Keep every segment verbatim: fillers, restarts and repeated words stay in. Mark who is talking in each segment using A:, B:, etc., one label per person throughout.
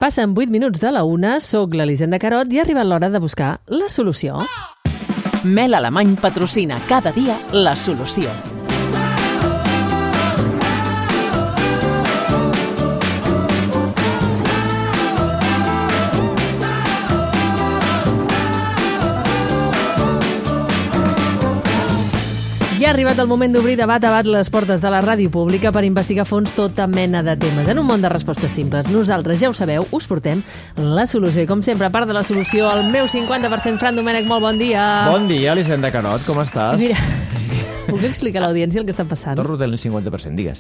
A: Passen vuit minuts de la una, soc l'Elisenda Carot i ha arribat l'hora de buscar la solució.
B: Mel Alemany patrocina cada dia la solució.
A: Ja ha arribat el moment d'obrir de bat a bat les portes de la ràdio pública per investigar a fons tota mena de temes. En un món de respostes simples, nosaltres, ja ho sabeu, us portem la solució. I com sempre, a part de la solució, el meu cinquanta per cent, Fran Domènech, molt bon dia.
C: Bon dia, Elisenda Carot, com estàs?
A: Mira, puc explicar a l'audiència el que està passant?
C: Torno del cinquanta per cent, digues.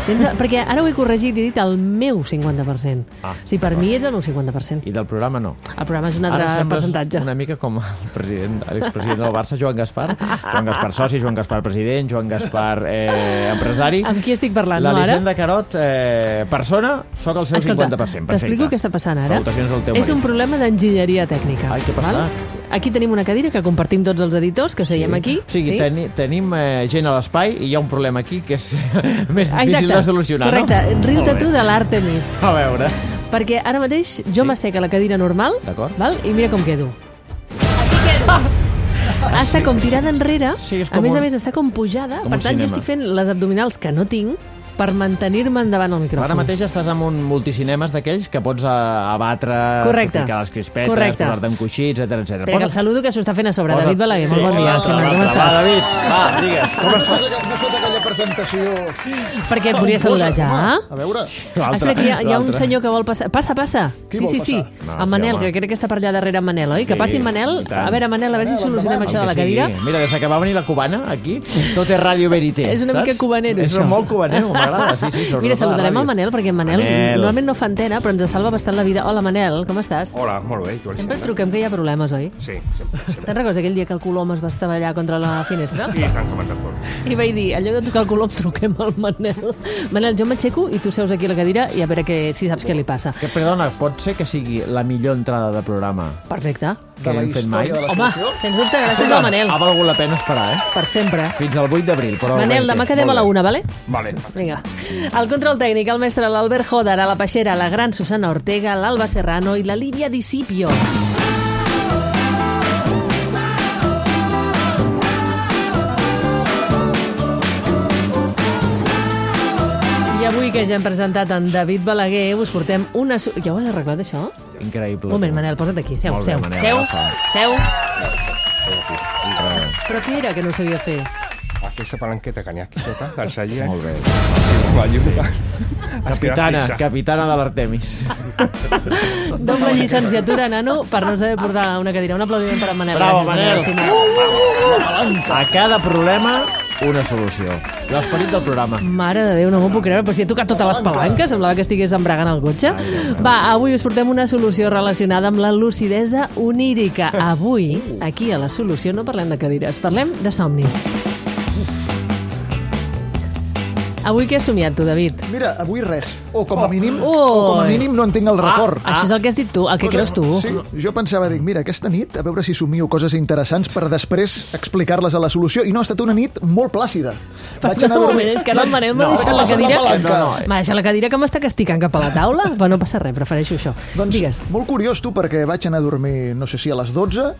A: Tens, perquè ara ho he corregit i he dit el meu cinquanta per cent.
C: Ah,
A: o sigui, per mi és el meu cinquanta per cent.
C: I del programa no.
A: El programa és un altre
C: Ara
A: percentatge.
C: una mica com el president, l'expresident del Barça, Joan Gaspar. Joan Gaspar soci, Joan Gaspar president, Joan Gaspar eh, empresari.
A: Amb qui estic parlant, no, ara?
C: L'Elisenda Carot, eh, persona, sóc el seu
A: Escolta,
C: cinquanta per cent. Perfecte.
A: t'explico què està passant ara.
C: Salutacions al teu
A: És un
C: marit.
A: problema d'enginyeria tècnica.
C: Ai, què passa?
A: Val? Aquí tenim una cadira que compartim tots els editors, que seiem aquí.
C: O sigui,
A: sí?
C: teni, tenim eh, gent a l'espai i hi ha un problema aquí que és més difícil
A: Exacte.
C: de solucionar,
A: Correcte.
C: no?
A: Riu-te tu de l'Àrtemis.
C: A veure.
A: Perquè ara mateix jo
C: Sí.
A: m'assec a la cadira normal,
C: D'acord.
A: val? I mira com quedo. Aquí quedo. Ah, està com tirada enrere,
C: Sí, és
A: a
C: com
A: més
C: un-
A: a més està com pujada,
C: com
A: per
C: un
A: tant jo
C: cinema.
A: estic fent les abdominals que no tinc per mantenir-me endavant el micròfon.
C: Ara mateix estàs en un multicinemes d'aquells que pots a- abatre,
A: Correcte.
C: ficar les crispetes,
A: Correcte.
C: posar-te amb coixí, etcètera, etcètera.
A: Espera, que el saludo que s'ho està fent a sobre.
C: Posa-
A: David Balaguer, molt
C: Sí.
A: bon dia.
C: Hola,
A: estimat, com
C: va,
A: estàs?
C: David, va, digues, com
D: No
C: estàs?
D: has no has fet aquella presentació...
A: Perquè et volia saludar ja.
D: Home, a veure...
C: L'altre,
A: Espera, que hi ha, hi ha un
C: l'altre.
A: senyor que vol passar. Passa, passa.
D: Qui
A: sí,
D: vol
A: sí, sí.
D: passar?
C: No,
A: En
C: sí,
A: Manel,
C: home.
A: que crec que està per allà darrere en Manel, oi? Que
C: Sí,
A: passi en Manel.
C: i tant.
A: A veure, Manel, a veure si
D: Manel,
A: solucionem
D: endavant.
A: això de
C: El
A: la
C: que
A: cadira.
C: sigui. Mira, des que va venir la cubana, aquí, tot és ràdio verité.
A: És una
C: saps?
A: mica cubanero,
C: és
A: això.
C: És molt cubanero, m'agrada. Sí, sí, sobretot
A: Mira,
C: a la
A: saludarem
C: ràdio.
A: el Manel, perquè en Manel,
C: Manel.
A: normalment no fa antena, però ens salva bastant la vida. Hola, Manel, com estàs?
E: Hola, molt bé. Tu,
A: Sempre et truquem que hi ha problemes, oi?
E: Sí, sempre. sempre.
A: Te'n recordes aquell dia que el Colom es va estavellar contra la finestra?
E: I t'han comentat molt.
A: I vaig dir, en lloc de trucar el Colom, truquem al Manel. Manel, jo m'aixeco i tu seus aquí a la cadira i a veure que, si saps què li passa.
C: Que, perdona, pot ser que sigui la millor entrada de programa
A: Perfecte.
C: que
D: De la
C: hem fet mai?
D: història de la
A: Home,
D: solució?
A: sens dubte, gràcies al Manel.
C: Ha valgut la pena esperar, eh?
A: Per sempre.
C: Fins al vuit d'abril, però...
A: Manel,
C: ho
A: demà
C: reitero.
A: quedem a la
C: Molt bé.
A: una, vale?
E: Vale.
A: Vinga. El control tècnic, el mestre l'Albert Joder, a la Peixera, la gran Susana Ortega, l'Alba Serrano i la Lívia Discipio. I avui que ja hem presentat en David Balaguer, us portem una... su- Ja ho has arreglat, això?
C: Increïble.
A: Un moment, Manel, posa't aquí. Seu,
C: Molt bé,
A: seu,
C: Manel,
A: seu,
C: agafa.
A: seu.
C: Res.
A: Però què era que no sabia fer?
E: Aquesta palanqueta que n'hi ha aquí sota, del celler.
C: Molt bé.
E: Sí, la llum.
C: Capitana, capitana de l'Artemis.
A: Doble llicenciatura, nano, per no saber portar una cadira. Un aplaudiment per en Manel.
C: Bravo,
A: Gràcies,
C: Manel.
A: estimat.
C: A cada problema, una solució. L'esperit del programa.
A: Mare de Déu, no m'ho puc creure, però si he tocat totes les palanques, semblava que estigués embragant el cotxe. Va, avui us portem una solució relacionada amb la lucidesa onírica. Avui, aquí a la solució, no parlem de cadires, parlem de somnis. Avui què has somiat tu, David?
D: Mira, avui res. O com a mínim,
A: Oh.
D: o com a mínim no en tinc el record.
A: Ah, això és el que has dit tu, el que creus tu.
D: Sí, jo pensava, dic, mira, aquesta nit, a veure si somio coses interessants per després explicar-les a la solució. I no, ha estat una nit molt plàcida. Vaig anar a
A: Un
D: dormir...
A: moment, és que ara el Manel m'ha
D: No,
A: deixat la
D: passa
A: cadira...
D: la palanca.
C: No, no,
A: M'ha deixat la cadira que m'està castigant cap a la taula. Però no passa res, prefereixo això.
D: Doncs,
A: Digues.
D: molt curiós, tu, perquè vaig anar a dormir, no sé si a les dotze,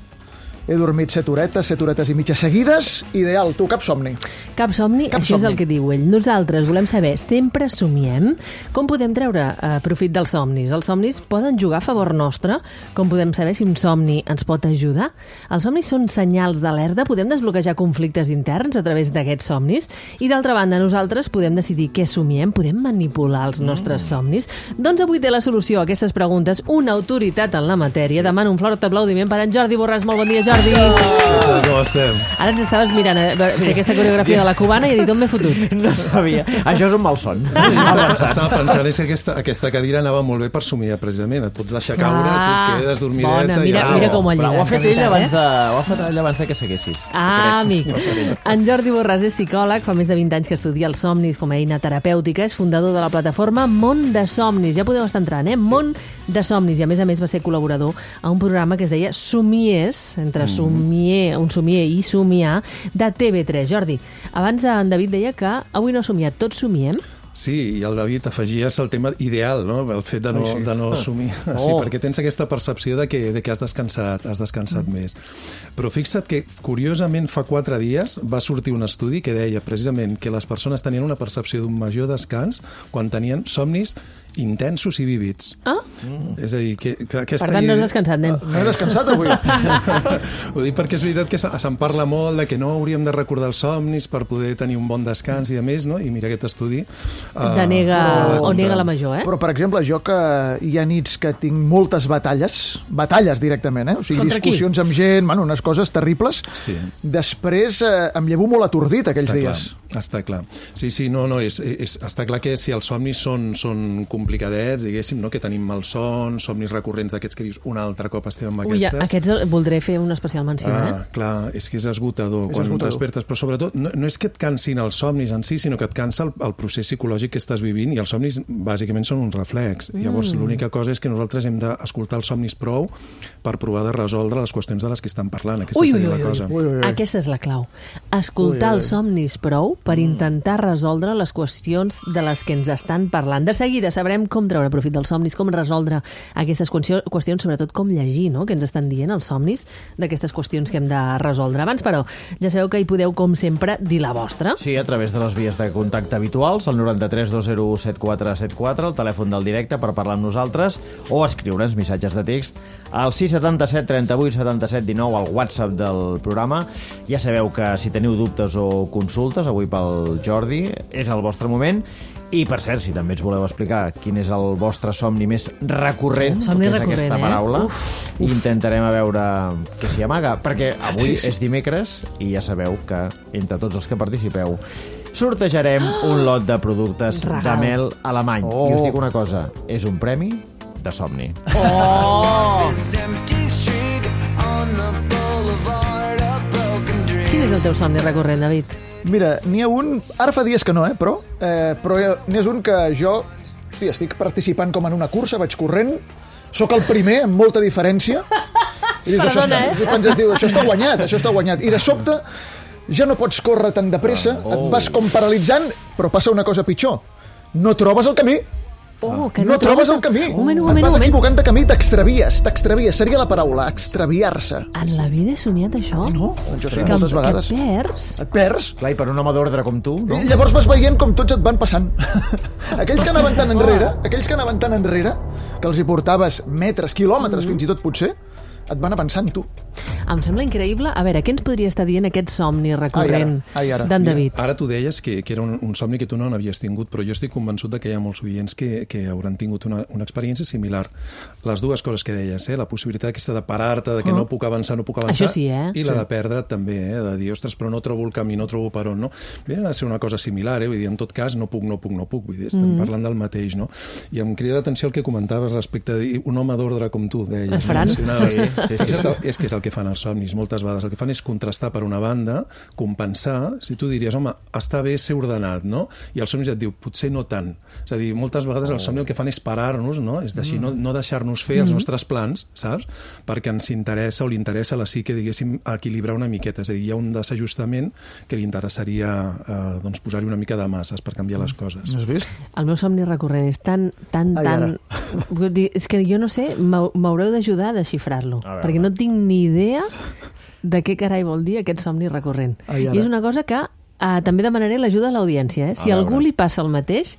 D: he dormit set horetes, set horetes i mitja seguides, ideal, tu, cap somni.
A: Cap somni,
D: Cap
A: això és
D: somni.
A: el que diu ell. Nosaltres volem saber, sempre somiem? Com podem treure eh, profit dels somnis? Els somnis poden jugar a favor nostre? Com podem saber si un somni ens pot ajudar? Els somnis són senyals d'alerta? Podem desbloquejar conflictes interns a través d'aquests somnis? I d'altra banda, nosaltres podem decidir què somiem? Podem manipular els nostres
D: Mm.
A: somnis? Doncs avui té la solució a aquestes preguntes una autoritat en la matèria. Demano un fort aplaudiment per en Jordi Borràs. Molt bon dia, Jordi.
F: Com estem?
A: Ara ens estaves mirant a veure, fer aquesta coreografia de la cubana i he dit, on m'he fotut?
C: No sabia. Això és un malson.
F: Estava, estava pensant és que aquesta, aquesta cadira anava molt bé per somiar, precisament. Et pots deixar caure,
A: Ah,
F: tu et quedes dormideta...
A: bona,
F: i
A: mira-
F: ja...
A: mira com ho ha
C: Però ho ha
A: lligat,
C: fet
A: de
C: ell
A: veritat,
C: abans
A: eh?
C: de, ho ha fet ell abans de que seguessis.
A: Ah, amic.
C: No sé.
A: En Jordi Borràs és psicòleg, fa més de vint anys que estudia els somnis com a eina terapèutica, és fundador de la plataforma Món de Somnis. Ja podeu estar entrant, eh? Món de Somnis. I a més a més va ser col·laborador a un programa que es deia Somiers, entre somier, un somier i somiar, de T V tres. Jordi, abans en David deia que avui no ha somiat, tots somiem?
F: Sí, i el David afegies el tema ideal, no? El fet de no,
D: Ai, sí.
F: de no assumir.
D: Oh.
F: Sí, perquè tens aquesta percepció de que, de que has descansat, has descansat mm. més. Però fixa't que, curiosament, fa quatre dies va sortir un estudi que deia precisament que les persones tenien una percepció d'un major descans quan tenien somnis intensos i vívids.
A: Ah?
F: Mm. És a dir, que, que aquesta...
A: Per tant, no has descansat, nen.
D: No he descansat avui.
F: Ho dic perquè és veritat que se'n parla molt de que no hauríem de recordar els somnis per poder tenir un bon descans i a més, no? I mira aquest estudi... Uh,
A: Denega
F: però-
A: o nega la major, eh?
D: Però, per exemple, jo que hi ha nits que tinc moltes batalles, batalles directament, eh? O sigui,
A: Contra qui?
D: discussions amb gent, bueno, unes coses terribles,
F: Sí.
D: després eh, em llevo molt atordit aquells
F: Està
D: dies.
F: clar, està clar. Sí, sí, no, no, és, és, està clar que si els somnis són, són complicadets, diguéssim, no? Que tenim malsons, somnis recurrents d'aquests que dius un altre cop estem amb
A: Ui,
F: aquestes...
A: aquests voldré fer una especial menció,
F: Ah,
A: eh?
F: clar, és que és esgotador
D: És
F: quan
D: esgotador.
F: despertes, però sobretot no, no és que et cansin els somnis en si, sinó que et cansa el, el procés psicològic que estàs vivint i els somnis bàsicament són un reflex. Mm. Llavors l'única cosa és que nosaltres hem d'escoltar els somnis prou per provar de resoldre les qüestions de les que estan parlant. Aquesta
A: Ui, ui,
F: seria
A: ui,
F: la cosa.
A: ui.
D: Ui, ui, ui.
A: Aquesta és la clau. Escoltar
D: Ui, ui.
A: els somnis prou per intentar resoldre les qüestions de les que ens estan parlant. De seguida sabrem com treure profit dels somnis, com resoldre aquestes qüestions, sobretot com llegir, no?, què ens estan dient els somnis d'aquestes qüestions que hem de resoldre. Abans, però, ja sabeu que hi podeu, com sempre, dir la vostra.
C: Sí, a través de les vies de contacte habituals, el noranta-tres dos zero u set quatre set quatre, el telèfon del directe per parlar amb nosaltres, o escriure'ns missatges de text al sis setanta set trenta vuit setanta set dinou, al WhatsApp del programa. Ja sabeu que si teniu dubtes o consultes, avui pel Jordi, és el vostre moment. I, per cert, si també ens voleu explicar quin és el vostre somni més recurrent,
A: Somni
C: que és
A: recurrent,
C: aquesta
A: eh?
C: paraula,
A: Uf,
C: intentarem a veure què s'hi amaga, perquè avui
D: Sí, sí.
C: és dimecres i ja sabeu que entre tots els que participeu sortejarem un lot de productes
A: Regal.
C: de mel alemany.
D: Oh.
C: I us dic una cosa, és un premi de somni.
A: Oh! Quin és el teu somni recurrent, David?
D: Mira, n'hi ha un... Ara fa dies que no, eh, però... Eh, però n'hi és un que jo... Hòstia, estic participant com en una cursa, vaig corrent, sóc el primer, amb molta diferència, i dius, això,
A: Perdona,
D: està,
A: eh?
D: i penses, diu, això està guanyat, això està guanyat. I de sobte ja no pots córrer tan de pressa,
C: Oh.
D: et vas com paralitzant, però passa una cosa pitjor. No trobes el camí.
A: Oh, que
D: No trobes el camí.
A: Un moment, un
D: Et
A: moment,
D: vas
A: un moment.
D: equivocant de camí, t'extravies, t'extravies. Seria la paraula, extraviar-se.
A: En la vida he somiat això?
D: No, jo sí,
A: que,
D: moltes vegades.
A: Que perds?
D: Et perds.
C: Clar, i per un home d'ordre com tu, no?
D: I llavors vas veient com tots et van passant. Aquells que anaven tan enrere, aquells que anaven tan enrere, que els hi portaves metres, quilòmetres, fins i tot potser, et van avançant tu.
A: Em sembla increïble. A veure, què ens podria estar dient aquest somni recurrent
D: Ai, ara, ai, ara.
A: d'en David?
F: Ara tu deies que, que era un, un somni que tu no n'havies tingut, però jo estic convençut de que hi ha molts oients que, que hauran tingut una, una experiència similar. Les dues coses que deies, eh? La possibilitat aquesta de parar-te, de que no puc avançar, no puc avançar,
A: Això sí, eh?
F: i la de perdre també, eh? De dir, ostres, però no trobo el camí, no trobo per on, no? Viene a ser una cosa similar, eh? Vull dir, en tot cas, no puc, no puc, no puc, vull dir, estem mm. parlant del mateix, no? I em crida l'atenció el que comentaves respecte a dir un home d'ordre com tu, deies.
A: El Fran.
F: No?
C: Sí, sí, sí.
F: És, el, és que és el que fan els somnis moltes vegades. El que fan és contrastar per una banda, compensar, si tu diries, home, està bé ser ordenat, no? I el somni et diu, potser no tant. És a dir, moltes vegades el somni el que fan és parar-nos, no? És deixar, no, no deixar-nos fer els nostres plans, saps? Perquè ens interessa o li interessa a la psique, diguéssim, equilibrar una miqueta. És a dir, hi ha un desajustament que li interessaria eh, doncs, posar-hi una mica de masses per canviar les coses.
D: Has vist?
A: El meu somni recurrent és tan, tan,
D: Ai,
A: tan... Vull dir, és que jo no sé, m'hau- m'haureu d'ajudar a desxifrar-lo,
C: A veure.
A: perquè no tinc ni idea de què carai vol dir aquest somni recurrent.
D: Ai, ara.
A: I és una cosa que eh, també demanaré l'ajuda a l'audiència. Eh? Si
C: A
A: a algú
C: veure.
A: li passa el mateix,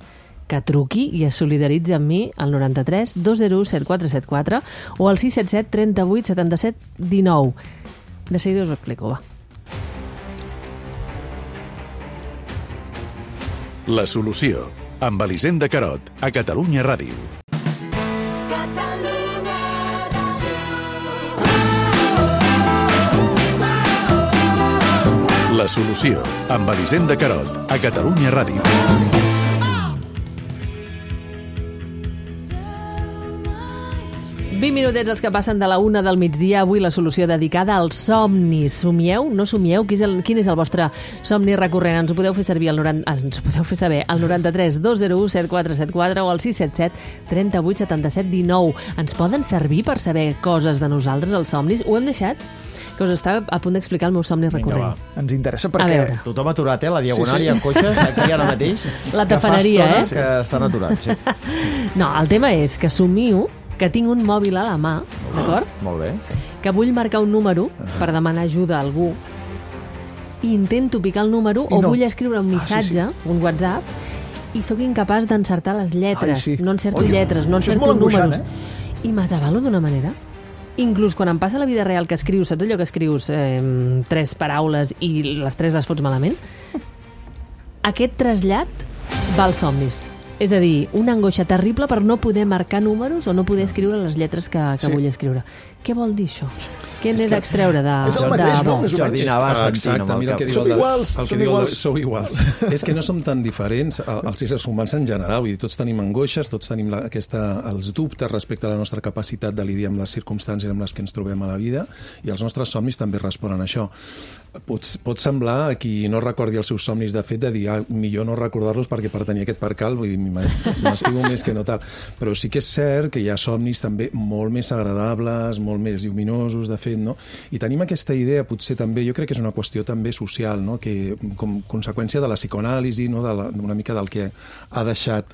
A: que truqui i es solidaritzi amb mi al noranta-tres dos zero u set quatre set quatre o al sis set set trenta vuit setanta set dinou. De seguida us ho explico, va.
G: La solució, amb Elisenda Carot, a Catalunya Ràdio. La solució, amb Elisenda Carot, a Catalunya Ràdio.
A: vint minutets els que passen de la una del migdia. Avui la solució dedicada als somnis. Somieu? No somieu? Quin és el, quin és el vostre somni recurrent? Ens ho podeu fer servir al noranta, ens ho podeu fer saber al noranta-tres dos zero u set quatre set quatre o al sis set set trenta vuit setanta set dinou. Ens poden servir per saber coses de nosaltres, els somnis? Ho hem deixat que us està a punt d'explicar el meu somni
C: Vinga,
A: recurrent.
C: va.
D: Ens interessa
A: A
D: perquè...
A: veure.
C: Tothom aturat, eh? La diagonal
D: Sí, sí.
C: i en cotxes, aquí ara mateix.
A: La tafaneria,
C: que fa
A: eh?
C: estona que estan aturats, sí.
A: No, el tema és que somio que tinc un mòbil a la mà, d'acord?
C: Molt bé.
A: Que vull marcar un número per demanar ajuda a algú i intento picar el número
D: I
A: o
D: no.
A: vull escriure un
D: Ah, sí,
A: missatge, un WhatsApp, i sóc incapaç d'encertar les lletres.
D: Ai, sí.
A: No encerto
D: Oi,
A: lletres, no
D: això és
A: encerto
D: molt angoixant,
A: números. I m'atabalo d'una manera. Inclús quan em passa a la vida real que escrius, saps allò que escrius eh, tres paraules i les tres les fots malament? Aquest trasllat va als somnis. És a dir, una angoixa terrible per no poder marcar números o no poder escriure les lletres que, que
D: Sí.
A: vull escriure. Què vol dir això? Què n'he d'extreure de,
D: és el
A: de
D: mateix, no?
A: bo?
D: Més o
C: Jordi
D: menys.
C: anava
F: Ah,
C: sentint
F: exacte,
C: amb el
F: mira el
C: cap.
F: que diu
D: Som
F: el de-
D: iguals,
F: el que
D: som
F: diu el de-
D: iguals.
F: sou iguals. És que no som tan diferents, el- els éssers humans en general, vull dir, tots tenim angoixes, tots tenim la, aquesta, els dubtes respecte a la nostra capacitat de lidiar amb les circumstàncies amb les que ens trobem a la vida, i els nostres somnis també responen a això. Pot, pot semblar a qui no recordi els seus somnis, de fet, de dir, ah, millor no recordar-los perquè per tenir aquest percal, vull dir, m'estimo més que no tal. Però sí que és cert que hi ha somnis també molt més agradables, molt més lluminosos, de fet, no? I tenim aquesta idea, potser també, jo crec que és una qüestió també social, no? Que com conseqüència de la psicoanàlisi, no? de la, una mica del que ha deixat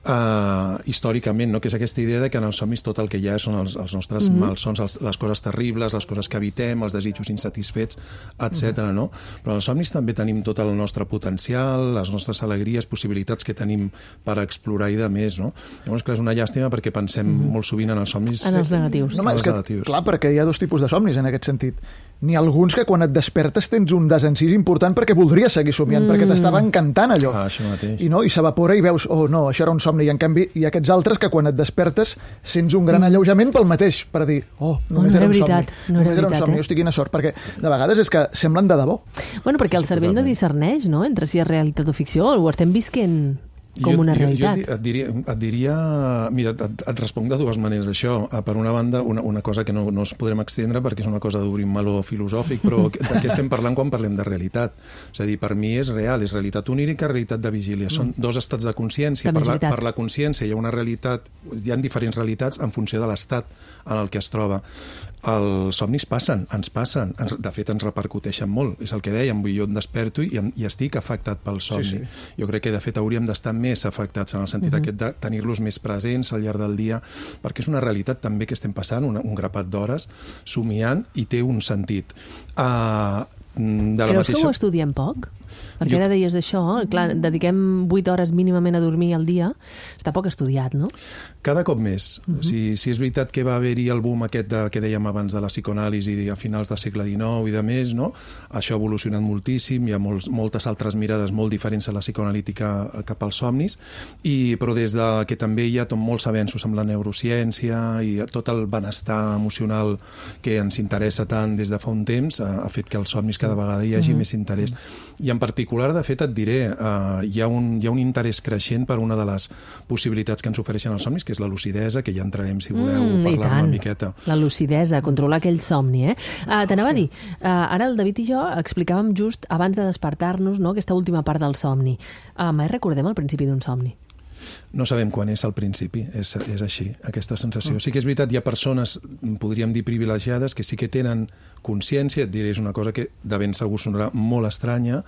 F: uh, històricament, no? Que és aquesta idea de que en els somnis tot el que hi ha són els, els nostres mm-hmm. malsons, els, les coses terribles, les coses que evitem, els desitjos insatisfets, etcètera. Mm-hmm. No? Però en els somnis també tenim tot el nostre potencial, les nostres alegries, possibilitats que tenim per explorar i de més, no? Llavors, clar, és una llàstima perquè pensem mm-hmm. molt sovint en els somnis...
A: En els negatius.
D: No, home,
F: Els
D: és que,
F: negatius.
D: clar, perquè hi ha dos tipus de somnis en aquest sentit. N'hi ha alguns que quan et despertes tens un desencís important perquè voldries seguir somiant, mm. perquè t'estava encantant allò.
F: Ah, això mateix.
D: I no, i s'evapora i veus, oh no, això era un somni. I en canvi hi ha aquests altres que quan et despertes sents un gran alleujament pel mateix, per dir, oh, només
A: no era
D: era un
A: veritat,
D: somni.
A: no era
D: només era un
A: veritat,
D: somni,
A: eh?
D: hosti, quina sort, perquè de vegades és que semblen de debò.
A: Bueno, perquè el
F: Sí,
A: cervell no
F: totalment.
A: discerneix, no?, entre si és realitat o ficció, ho estem visquent com
F: jo,
A: una
F: jo,
A: realitat.
F: Jo et diria, et diria mira, et, et responc de dues maneres això. Per una banda, una, una cosa que no, no es podrem extendre perquè és una cosa d'obrir un meló filosòfic, però de què estem parlant quan parlem de realitat? És a dir, per mi és real, és realitat onírica, realitat de vigília. Són dos estats de consciència.
A: També
F: Per
A: és
F: la,
A: veritat.
F: per la consciència hi ha una realitat, hi ha diferents realitats en funció de l'estat en el que es troba. Els somnis passen, ens passen, ens, de fet ens repercuteixen molt, és el que dèiem, vull, jo em desperto i, i estic afectat pel somni. Sí, sí. Jo crec que de fet hauríem d'estar més afectats en el sentit uh-huh. aquest de tenir-los més presents al llarg del dia, perquè és una realitat també que estem passant, un, un grapat d'hores, somiant, i té un sentit. Uh, de la
A: Creus
F: mateixa...
A: que ho estudiem poc? Perquè
F: Jo-
A: ara deies això, clar, dediquem vuit hores mínimament a dormir al dia, està poc estudiat, no?
F: Cada cop més. Uh-huh. si, si és veritat que va haver-hi el boom aquest de, que dèiem abans de la psicoanàlisi a finals del segle dinou i de més, no? Això ha evolucionat moltíssim, hi ha molts, moltes altres mirades molt diferents a la psicoanalítica cap als somnis, i, però des de que també hi ha tot, molts avenços amb la neurociència i tot el benestar emocional que ens interessa tant des de fa un temps, ha, ha fet que els somnis cada vegada hi hagi uh-huh. més interès. I en particular, de fet, et diré, uh, hi, ha un, hi ha un interès creixent per una de les possibilitats que ens ofereixen els somnis, que és la lucidesa, que ja entrarem, si voleu,
A: Mm, i
F: parlar
A: tant.
F: una miqueta.
A: La lucidesa, controlar aquell somni, eh? Uh, T'anava a dir, uh, ara el David i jo explicàvem just abans de despertar-nos, no?, aquesta última part del somni. Uh, mai recordem el principi d'un somni.
F: No sabem quan és al principi, és, és així, aquesta sensació. Sí que és veritat, hi ha persones, podríem dir privilegiades, que sí que tenen consciència, et diré, és una cosa que de ben segur sonarà molt estranya,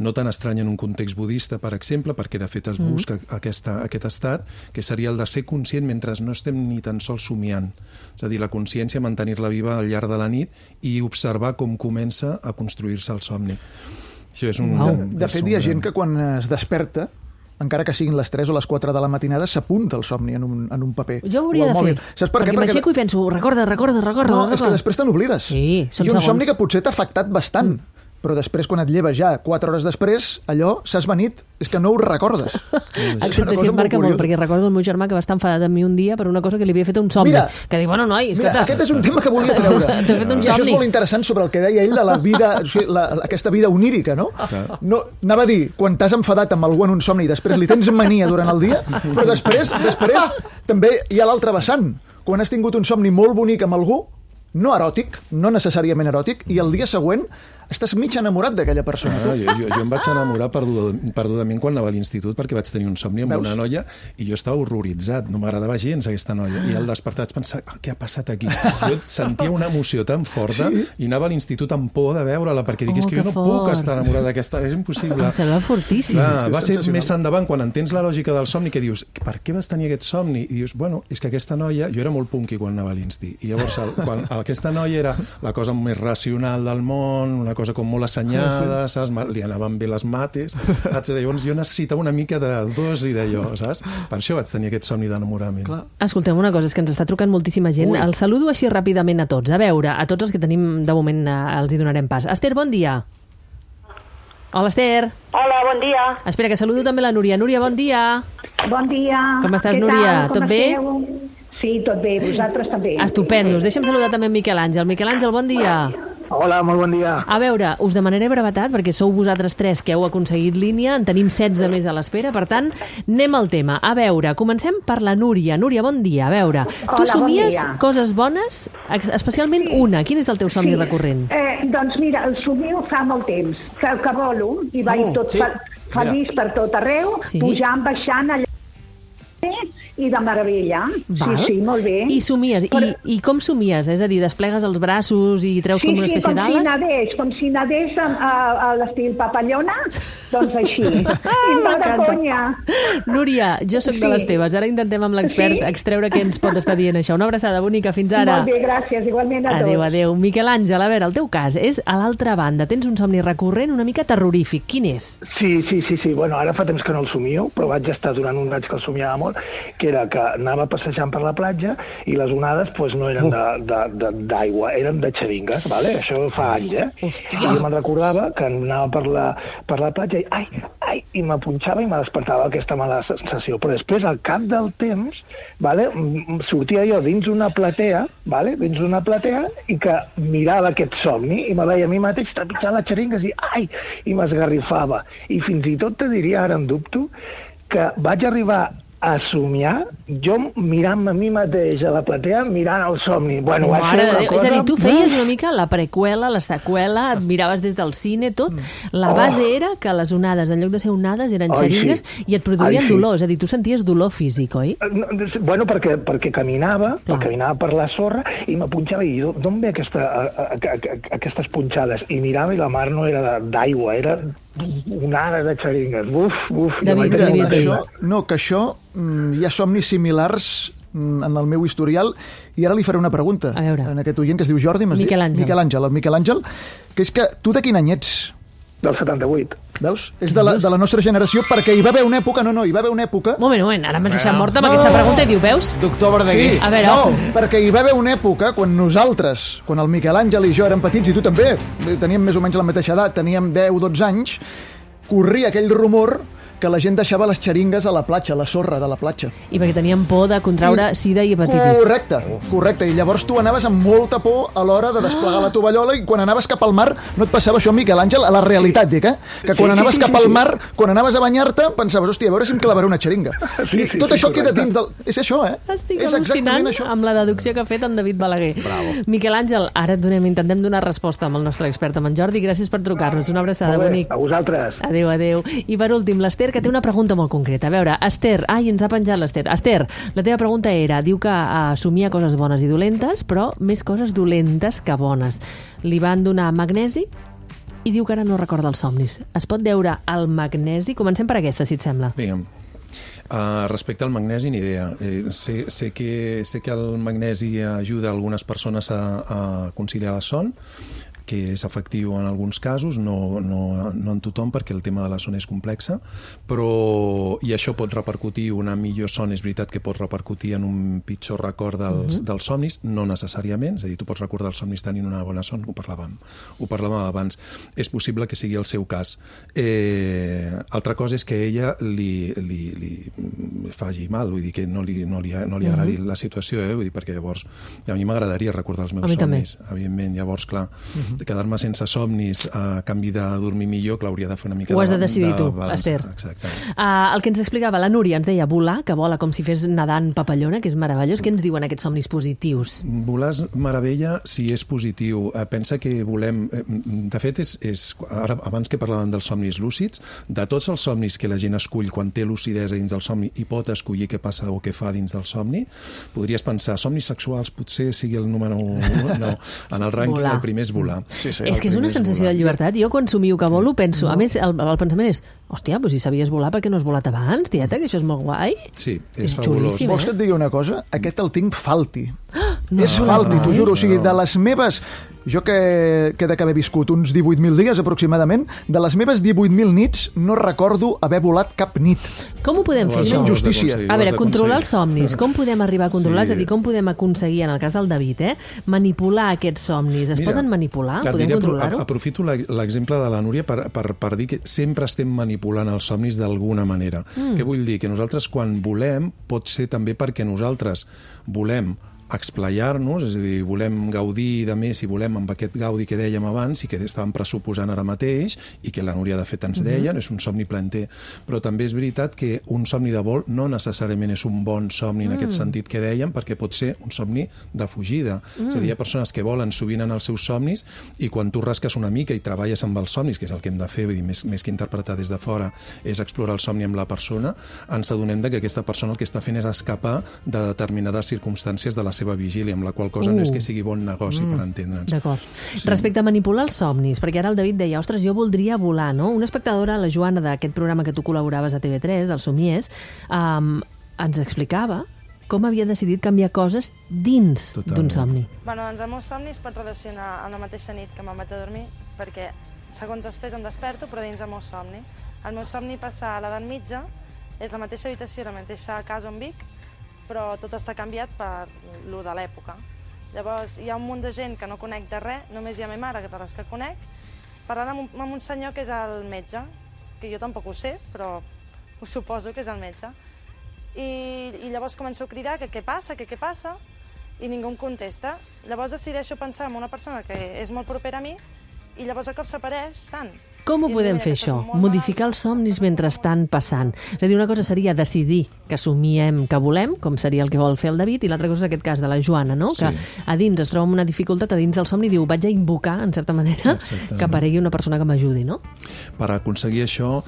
F: no tan estranya en un context budista, per exemple, perquè de fet es busca mm. aquesta, aquest estat, que seria el de ser conscient mentre no estem ni tan sols somiant. És a dir, la consciència, mantenir-la viva al llarg de la nit i observar com comença a construir-se el somni. Això és un...
A: Wow.
D: De, de fet, hi ha gent que quan es desperta, encara que siguin les tres o les quatre de la matinada, s'apunta el somni en un, en un paper.
A: Jo ho hauria
D: o al
A: de
D: mòbil.
A: fer,
D: Saps per
A: perquè
D: què?
A: m'aixeco i penso, recorda, recorda, recorda.
D: No,
A: recorda.
D: és que després te n'oblides.
A: Sí, són
D: I un
A: segons.
D: somni que potser t'ha afectat bastant. Mm. Però després, quan et lleves ja quatre hores després, allò s'ha esvanit, és que no ho recordes.
A: Excepte si em marca molt, perquè recordo el meu germà que va estar enfadat amb mi un dia per una cosa que li havia fet un somni.
D: Mira,
A: que diu, bueno, noi,
D: Mira,
A: escolta...
D: aquest és un tema que volia treure.
A: T'he fet un
D: I això és
A: somni.
D: molt interessant sobre el que deia ell de la vida, o sigui, la, aquesta vida onírica, no? no? Anava a dir, quan t'has enfadat amb algú en un somni i després li tens mania durant el dia, però després, després també hi ha l'altre vessant. Quan has tingut un somni molt bonic amb algú, no eròtic, no necessàriament eròtic, i el dia següent estàs mig enamorat d'aquella persona.
F: Ah, jo, jo, jo em vaig enamorar perduda, perdudament quan anava a l'institut perquè vaig tenir un somni amb
D: Veus?
F: una noia i jo estava horroritzat, no m'agradava gens aquesta noia. I al despertar vaig pensar, ah, què ha passat aquí? Jo sentia una emoció tan forta sí? i anava a l'institut amb por de veure-la perquè dic,
A: Oh,
F: és que jo no
A: que
F: puc
A: fort.
F: estar enamorat d'aquesta, és impossible.
A: Em sembla fortíssim.
F: Clar,
D: sí,
F: va ser
D: sensacional.
F: més endavant quan entens la lògica del somni que dius, per què vas tenir aquest somni? I dius, bueno, és que aquesta noia, jo era molt punky quan anava a l'insti, i llavors el, quan aquesta noia era la cosa més racional del món, una cosa com molt assenyada, saps? Li anaven bé les mates, etcètera. Llavors jo necessitava una mica de dos i d'allò, saps? Per això vaig tenir aquest somni d'enamorament.
A: Escoltem una cosa, és que ens està trucant moltíssima gent.
F: Ui.
A: El saludo així ràpidament a tots. A veure, a tots els que tenim de moment eh, els hi donarem pas. Esther, bon dia. Hola, Esther.
H: Hola, bon dia.
A: Espera, que saludo també la Núria. Núria, bon dia.
H: Bon dia.
A: Com estàs,
H: Què
A: Núria?
H: tal? Com
A: Tot bé?
H: esteu? Sí, tot bé. Vosaltres també.
A: Estupendos. Deixa'm saludar també en Miquel Àngel. Miquel Àngel, bon dia.
I: Hola, molt bon dia.
A: A veure, us demanaré brevetat, perquè sou vosaltres tres que heu aconseguit línia, en tenim setze més a l'espera, per tant, anem al tema. A veure, comencem per la Núria. Núria, bon dia. A veure, tu
H: Hola, bon
A: somies
H: dia.
A: coses bones, ex- especialment
H: Sí.
A: una. Quin és el teu somni
H: Sí.
A: recurrent?
H: Eh, doncs mira, el somio fa molt temps, que, que volo, i vaig
C: Oh,
H: tot
C: sí.
H: fe feliç per tot arreu,
A: Sí.
H: pujant, baixant, allà i de meravella.
A: Val.
H: Sí, sí, molt bé.
A: I somies.
H: Però-
A: I, I com somies? És a dir, desplegues els braços i treus
H: Sí,
A: com una
H: sí,
A: espècie
H: com si
A: d'ales?
H: nadés, com si nadés a, a, a l'estil papallona, doncs així. I no de
A: M'encanta.
H: conya.
A: Núria, jo sóc de
H: Sí.
A: les teves. Ara intentem amb l'expert
H: Sí?
A: extreure què ens pot estar dient això. Una abraçada bonica. Fins ara.
H: Molt bé, gràcies, igualment a tots.
A: Adéu, adéu. Miquel Àngel, a veure, el teu cas és a l'altra banda. Tens un somni recurrent una mica terrorífic. Quin és?
I: Sí, sí, sí, sí. Bueno, ara fa temps que no el somio, però vaig estar durant un any que el somiava molt, que era que anava passejant per la platja i les onades pues, no eren de- de- de- d'aigua, eren de xeringues, vale? Això fa anys, eh?
A: Hòstia.
I: I jo me'n recordava que anava per la, per la platja i ai, ai, i me punxava i me despertava aquesta mala sensació. Però després, al cap del temps, vale, m- m- sortia jo dins una platea, vale, dins una platea, i que mirava aquest somni i me veia a mi mateix trepitjant les xeringues i ai, i m'esgarrifava. I fins i tot te diria, ara en dubto, que vaig arribar a somiar, jo mirant-me a mi mateix a la platea, mirant el somni. Bueno, va
A: Mare
I: ser
A: de
I: una
A: Déu.
I: cosa...
A: És a dir, tu feies una mica la preqüela, la seqüela, et miraves des del cine, tot. La
I: Oh.
A: base era que les onades, en lloc de ser onades, eren
I: Ai,
A: xeringues
I: sí.
A: i et produïen
I: Ai, sí.
A: dolor. És a dir, tu senties dolor físic, oi?
I: No, bueno, perquè, perquè caminava,
A: Clar.
I: perquè caminava per la sorra i me punxava i jo, d'on ve aquesta, a, a, a, a, aquestes punxades? I mirava i la mar no era de- d'aigua, era onada de xeringues. Buf, buf. jo
A: David,
I: vaig
A: què
I: tenir
A: diries
I: una
A: d'ell?
I: pena.
D: Això, no, que això, mm, hi ha somnis similars mm, en el meu historial, i ara li faré una pregunta
A: A veure.
D: en aquest oient que es diu Jordi, m'has dit?
A: Miquel Àngel.
D: Miquel Àngel, el Miquel Àngel, que és que tu de quin any ets?
I: Del setanta-vuit.
D: Veus? És de la, de la nostra generació, perquè hi va haver una època, no, no, hi va haver una època...
A: Un moment, un moment, ara m'has deixat morta amb aquesta pregunta i diu, veus?
C: Doctor Verdaguer.
A: A veure,
D: no,
A: oh.
D: perquè hi va haver una època quan nosaltres, quan el Miquel Àngel i jo érem petits, i tu també, teníem més o menys la mateixa edat, teníem deu o dotze anys, corria aquell rumor que la gent deixava les xeringues a la platja, a la sorra de la platja.
A: I perquè tenien por de contraure sida i hepatitis.
D: Correcte, correcte. I llavors tu anaves amb molta por a l'hora de desplegar la tovallola i quan anaves cap al mar no et passava això, Miquel Àngel, a la realitat, dic, eh? Que quan anaves cap al mar, quan anaves a banyar-te, pensaves, hòstia, a veure si em clavaré una xeringa.
I: Sí,
D: I
I: sí,
D: tot
I: sí,
D: això queda
I: correcte.
D: dins del... És això, eh?
A: Estic
D: és
A: al·lucinant
D: això.
A: amb la deducció que ha fet en David Balaguer. Bravo. Miquel Àngel, ara et donem, intentem donar resposta amb el nostre expert, amb en Jordi. Gràcies per trucar-nos. Una abraçada,
I: Molt bé,
A: bonic.
I: a vosaltres.
A: Adéu, adéu. I per últim, l'Ester, que té una pregunta molt concreta. A veure, Esther, ai, ens ha penjat l'Ester. Esther, la teva pregunta era, diu que uh, somia coses bones i dolentes, però més coses dolentes que bones. Li van donar magnesi i diu que ara no recorda els somnis. Es pot deure al magnesi? Comencem per aquesta, si et sembla.
F: Digue'm. Uh, respecte al magnesi, ni idea. Eh, sé, sé, que, sé que el magnesi ajuda algunes persones a, a conciliar la son, que és efectiu en alguns casos, no, no, no en tothom, perquè el tema de la son és complexa, però i això pot repercutir, una millor son és veritat que pot repercutir en un pitjor record dels, uh-huh. dels somnis, no necessàriament, és a dir, tu pots recordar els somnis tenint una bona son, ho parlàvem, ho parlàvem abans. És possible que sigui el seu cas. Eh, altra cosa és que ella li, li, li faci mal, vull dir que no li, no li, no li agradi uh-huh. la situació, eh? Vull dir, perquè llavors a mi m'agradaria recordar els meus
A: A mi també.
F: somnis, evidentment, llavors, clar, uh-huh. quedar-me sense somnis a canvi de dormir millor, que l'hauria de fer una mica...
A: Ho has de decidir tu,
F: balança.
A: Esther.
F: Exacte.
A: Uh, el que ens explicava la Núria, ens deia volar, que vola com si fes nedant papallona, que és meravellós. Què ens diuen aquests somnis positius?
F: Volar és meravella si és positiu. Eh, pensa que volem... Eh, de fet, és, és ara, abans que parlàvem dels somnis lúcids, de tots els somnis que la gent escull quan té lucidesa dins del somni i pot escollir què passa o què fa dins del somni, podries pensar, somnis sexuals potser sigui el número un. No, en el rànquing
A: Volar.
F: el primer és volar.
D: Sí, sí,
A: És que és una sensació de llibertat. Jo quan somio que volo penso, a més el, el pensament és, hòstia, però si sabies volar, per què no has volat abans, tieta, que això és molt guai?
F: Sí, és,
A: És
F: fabulós.
A: xulíssim.
D: Vols que et digui una cosa? Aquest el tinc falti.
A: No.
D: És falti, t'ho juro. O sigui, de les meves... Jo que, que he d'haver viscut uns divuit mil dies aproximadament, de les meves divuit mil nits no recordo haver volat cap nit.
A: Com ho podem fer?
D: És
A: No?
D: una injustícia.
A: A veure, controlar els somnis. Com podem arribar a controlar? Sí. És a dir, com podem aconseguir, en el cas del David, eh, manipular aquests somnis? Es
F: Mira,
A: poden manipular?
F: et
A: Podem
F: diré,
A: controlar-ho?
F: apro- Aprofito la- l'exemple de la Núria per, per, per dir que sempre estem manipulant els somnis d'alguna manera. Mm. Què vull dir? Que nosaltres quan volem pot ser també perquè nosaltres volem explayar-nos, és a dir, volem gaudir de més i volem amb aquest gaudi que dèiem abans i que estàvem pressuposant ara mateix i que la Núria de fet ens deia, és un somni planter. Però també és veritat que un somni de vol no necessàriament és un bon somni en aquest sentit que dèiem, perquè pot ser un somni de fugida. És a dir, hi ha persones que volen sovint en els seus somnis i quan tu rasques una mica i treballes amb els somnis, que és el que hem de fer, vull dir, més, més que interpretar des de fora, és explorar el somni amb la persona, ens adonem de que aquesta persona el que està fent és escapar de determinades circumstàncies de la seva vigília, amb la qual cosa uh. no és que sigui bon negoci mm. per entendre'ns.
A: D'acord.
F: Sí.
A: Respecte a manipular els somnis, perquè ara el David deia, ostres, jo voldria volar, no? Una espectadora, la Joana, d'aquest programa que tu col·laboraves a T V tres, el Somies, um, ens explicava com havia decidit canviar coses dins d'un somni.
J: Bueno, doncs el meu somni es pot relacionar amb la mateixa nit que me'n vaig a dormir, perquè segons després em desperto, però dins el meu somni. El meu somni passa a l'edat mitja, és la mateixa habitació, la mateixa casa on vic, però tot està canviat per lo de l'època. Llavors, hi ha un munt de gent que no conec de res, només hi ha ma mare, que de les que conec, parlant amb un, amb un senyor que és el metge, que jo tampoc ho sé, però ho suposo que és el metge. I, i llavors començo a cridar que què passa, que què passa, i ningú em contesta. Llavors decideixo pensar en una persona que és molt propera a mi, i llavors a cop s'apareix tant.
A: Com ho podem fer, això? Modificar els somnis mentre estan passant. És a dir, una cosa seria decidir que somiem que volem, com seria el que vol fer el David, i l'altra cosa és aquest cas de la Joana, no?
F: Sí.
A: Que a dins es troba amb una dificultat, a dins del somni diu, vaig a invocar, en certa manera,
F: Exacte.
A: que aparegui una persona que m'ajudi, no?
F: Per aconseguir això,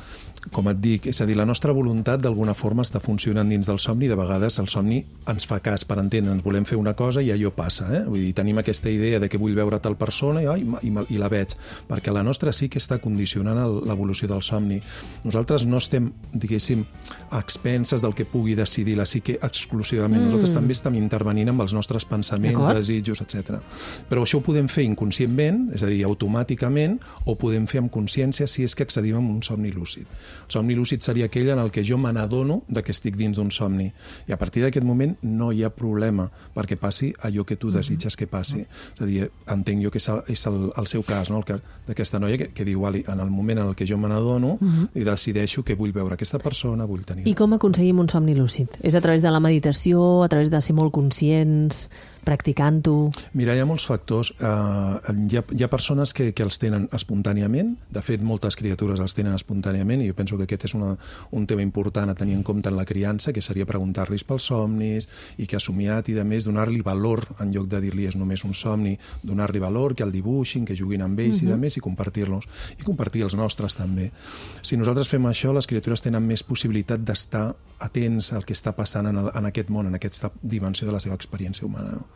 F: com et dic, és a dir, la nostra voluntat d'alguna forma està funcionant dins del somni, de vegades el somni ens fa cas per entendre'ns, volem fer una cosa i allò passa, eh? Vull dir, tenim aquesta idea de que vull veure tal persona i, ai, i, i la veig, perquè la nostra sí que està condicionant el, l'evolució del somni. Nosaltres no estem, diguéssim, a expenses del que pugui decidir la psique exclusivament, mm. nosaltres també estem intervenint amb els nostres pensaments, desitjos, etcètera. Però això ho podem fer inconscientment, és a dir, automàticament, o podem fer amb consciència si és que accedim a un somni lúcid. El somni lúcid seria aquell en el que jo me n'adono de que estic dins d'un somni. I a partir d'aquest moment no hi ha problema perquè passi allò que tu desitges que passi. És a dir, entenc jo que és el, és el, el seu cas, no? El cas d'aquesta noia que, que diu, Ali, en el moment en el que jo me n'adono uh-huh. i decideixo que vull veure aquesta persona, vull tenir...
A: I com aconseguim un somni lúcid? És a través de la meditació, a través de ser molt conscients, practicant-ho?
F: Mira, hi ha molts factors. Uh, hi, ha, hi ha persones que, que els tenen espontàniament. De fet, moltes criatures els tenen espontàniament i jo penso que aquest és una, un tema important a tenir en compte en la criança, que seria preguntar-los pels somnis i que ha somiat i, de més, donar-li valor en lloc de dir-li és només un somni, donar-li valor, que el dibuixin, que juguin amb ells uh-huh. i, de més, i compartir-los. I compartir els nostres, també. Si nosaltres fem això, les criatures tenen més possibilitat d'estar atents al que està passant en, el, en aquest món, en aquesta dimensió de la seva experiència humana. No?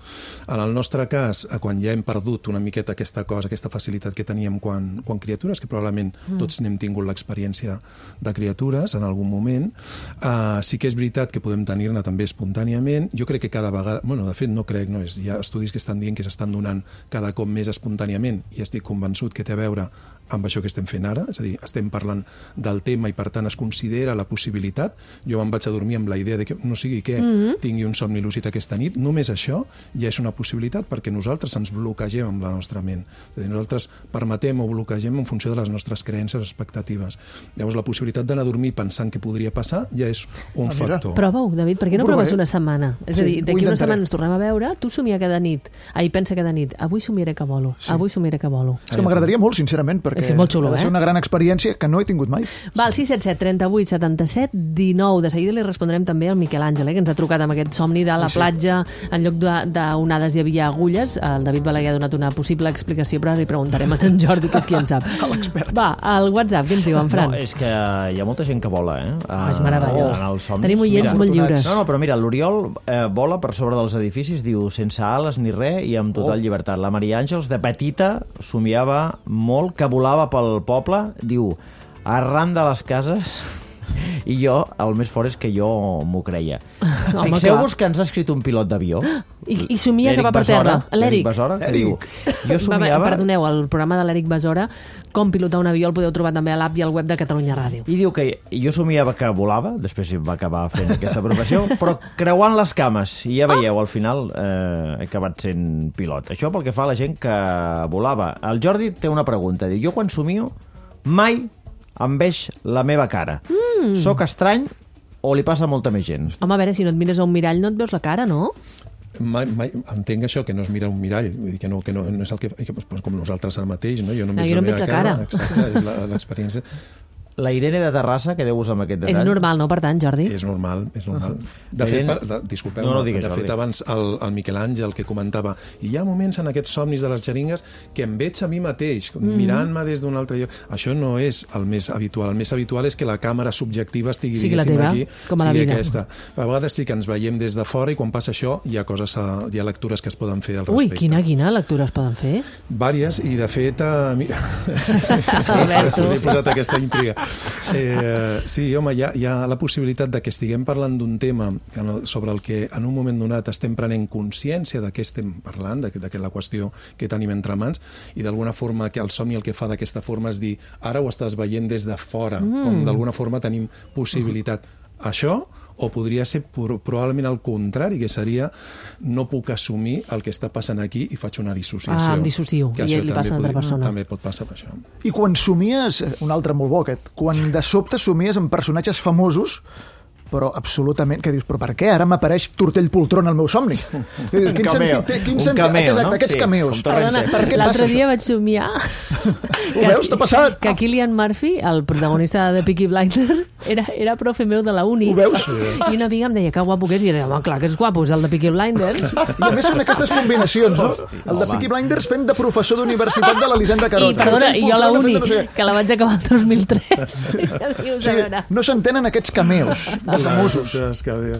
F: En el nostre cas, quan ja hem perdut una miqueta aquesta cosa, aquesta facilitat que teníem quan, quan criatures, que probablement mm. tots n'hem tingut l'experiència de criatures en algun moment, uh, sí que és veritat que podem tenir-ne també espontàniament. Jo crec que cada vegada... Bueno, de fet, no crec, no és, hi ha estudis que estan dient que s'estan donant cada cop més espontàniament i estic convençut que té a veure amb això que estem fent ara, és a dir, estem parlant del tema i per tant es considera la possibilitat. Jo me'n vaig a dormir amb la idea de que no sigui que mm-hmm. tingui un somni lúcid aquesta nit, només això, ja és una possibilitat perquè nosaltres ens bloquegem amb la nostra ment. És a dir, nosaltres permetem o bloquegem en funció de les nostres creences o expectatives. Llavors, la possibilitat d'anar a dormir pensant què podria passar ja és un ah, factor.
A: Prova-ho, David, per què no proves una setmana? És
D: Sí,
A: a dir,
D: ho
A: d'aquí una
D: intentaré.
A: setmana ens tornem a veure, tu somia cada nit, ahir pensa cada nit, avui somiaré que volo,
D: Sí.
A: avui somiaré que volo.
D: És que m'agradaria molt, sincerament, perquè
A: És molt xulo,
D: ha de ser
A: eh?
D: una gran experiència que no he tingut mai.
A: Va, al sis set set, trenta-vuit, setanta-set, dinou. De seguida li respondrem també al Miquel Àngel, eh, que ens ha trucat amb aquest somni de la
D: Sí, sí.
A: platja, en lloc de- d'onades hi havia agulles. El David Balaguer ha donat una possible explicació, però ara li preguntarem a en Jordi, que és qui en sap. Va, al WhatsApp, què ens diu en Fran?
C: No, és que hi ha molta gent que vola, eh?
A: Ah, és meravellós.
C: En els somnis.
A: Tenim oients
C: Mira,
A: molt lliures.
C: No, no, però mira, l'Oriol eh, vola per sobre dels edificis, diu, sense ales ni res i amb total
D: Oh.
C: llibertat. La Maria Àngels, de petita, somiava molt que volava pel poble, diu, arran de les cases... I jo, el més fort és que jo m'ho creia.
A: Home,
C: Fixeu-vos que ens ha escrit un pilot d'avió.
A: I, i somia que
C: L'Eric
A: va per
C: Besora,
A: terra. L'Eric.
C: L'Eric Besora, que diu, jo
A: Va,
C: somiava...
A: perdoneu, el programa de l'Eric Besora, com pilotar un avió, el podeu trobar també a l'app i al web de Catalunya Ràdio.
C: I diu que jo somiava que volava, després va acabar fent aquesta professió, però creuant les cames, i ja veieu, al final eh, he acabat sent pilot. Això pel que fa a la gent que volava. El Jordi té una pregunta, diu, jo quan somio mai em veig la meva cara. Mm. Soc estrany o li passa a molta més gent?
A: Home, a veure, si no et mires a un mirall no et veus la cara, no?
F: Mai, mai, entenc això, que no es mira un mirall, vull dir que no, que no, no és el que, que pues, com nosaltres ara mateix, no? Jo no,
A: No,
F: em
A: jo no
F: veig
A: em
F: la
A: veig
F: meva
A: la
F: cara,
A: cara.
F: exacte, és la- l'experiència.
C: La Irene de Terrassa, quedeu-vos amb aquest detall.
A: És normal, no, per tant, Jordi?
F: És normal, és normal. De
C: La
F: fet,
C: Irene-
F: per, de, disculpeu,
C: No, no
F: de
C: digues,
F: fet
C: Jordi.
F: abans el, el Miquel Àngel que comentava, i hi ha moments en aquests somnis de les xeringues que em veig a mi mateix,
A: Mm.
F: mirant-me des d'un altre lloc. Això no és el més habitual. El més habitual és que la càmera subjectiva estigui,
A: Sigui la
F: diguéssim,
A: teva,
F: aquí,
A: com a la
F: sigui
A: vida.
F: aquesta. A vegades sí que ens veiem des de fora i quan passa això hi ha coses, a, hi ha lectures que es poden fer al
A: Ui,
F: respecte.
A: quina, quina lectura es poden fer?
F: Vàries, i de fet a mi...
A: Alberto.
F: He posat aquesta intriga. Eh, sí, home, hi ha, hi ha la possibilitat de que estiguem parlant d'un tema en el, sobre el que en un moment donat estem prenent consciència de què estem parlant, de, de la qüestió que tenim entre mans, i d'alguna forma que el somni el que fa d'aquesta forma és dir, ara ho estàs veient des de fora, mm. com d'alguna forma tenim possibilitat. Això, o podria ser pro- probablement el contrari, que seria no puc assumir el que està passant aquí i faig una dissociació.
A: Ah, em dissocio,
F: Que
A: i
F: això
A: li passa a una altra
F: podria-
A: persona.
F: També pot passar per això.
D: I quan somies, un altre molt bo aquest, quan de sobte somies amb personatges famosos, però absolutament, que dius, però per què ara m'apareix Tortell Poltron al meu somni? Que dius, quin
C: cameo.
D: sentit té? Quin
C: Un
D: sentit?
C: cameo,
D: Exacte,
C: no?
D: aquests
C: Sí,
D: cameos.
C: com Torrente.
A: Perdona,
D: Per què
A: l'altre
D: passa
A: dia
D: això?
A: vaig somiar
D: Ho veus? T'ha passat?
A: que Cillian Murphy, el protagonista de Peaky Blinders, era, era profe meu de la uni.
D: Ho veus?
A: I una amiga em deia que guapo que és, i jo deia, home, clar que és guapo, és el de Peaky Blinders.
D: I a més són aquestes combinacions, no? El de Peaky Blinders fent de professor d'universitat de l'Elisenda Carot.
A: I, perdona,
D: Tortell
A: i jo a la
D: Poltron
A: uni,
D: fent de no sé què.
A: que la vaig acabar el dos mil tres. Ja dius,
D: O
A: a veure.
D: sigui, no s'entenen aquests cameos de famosos.
F: Clar,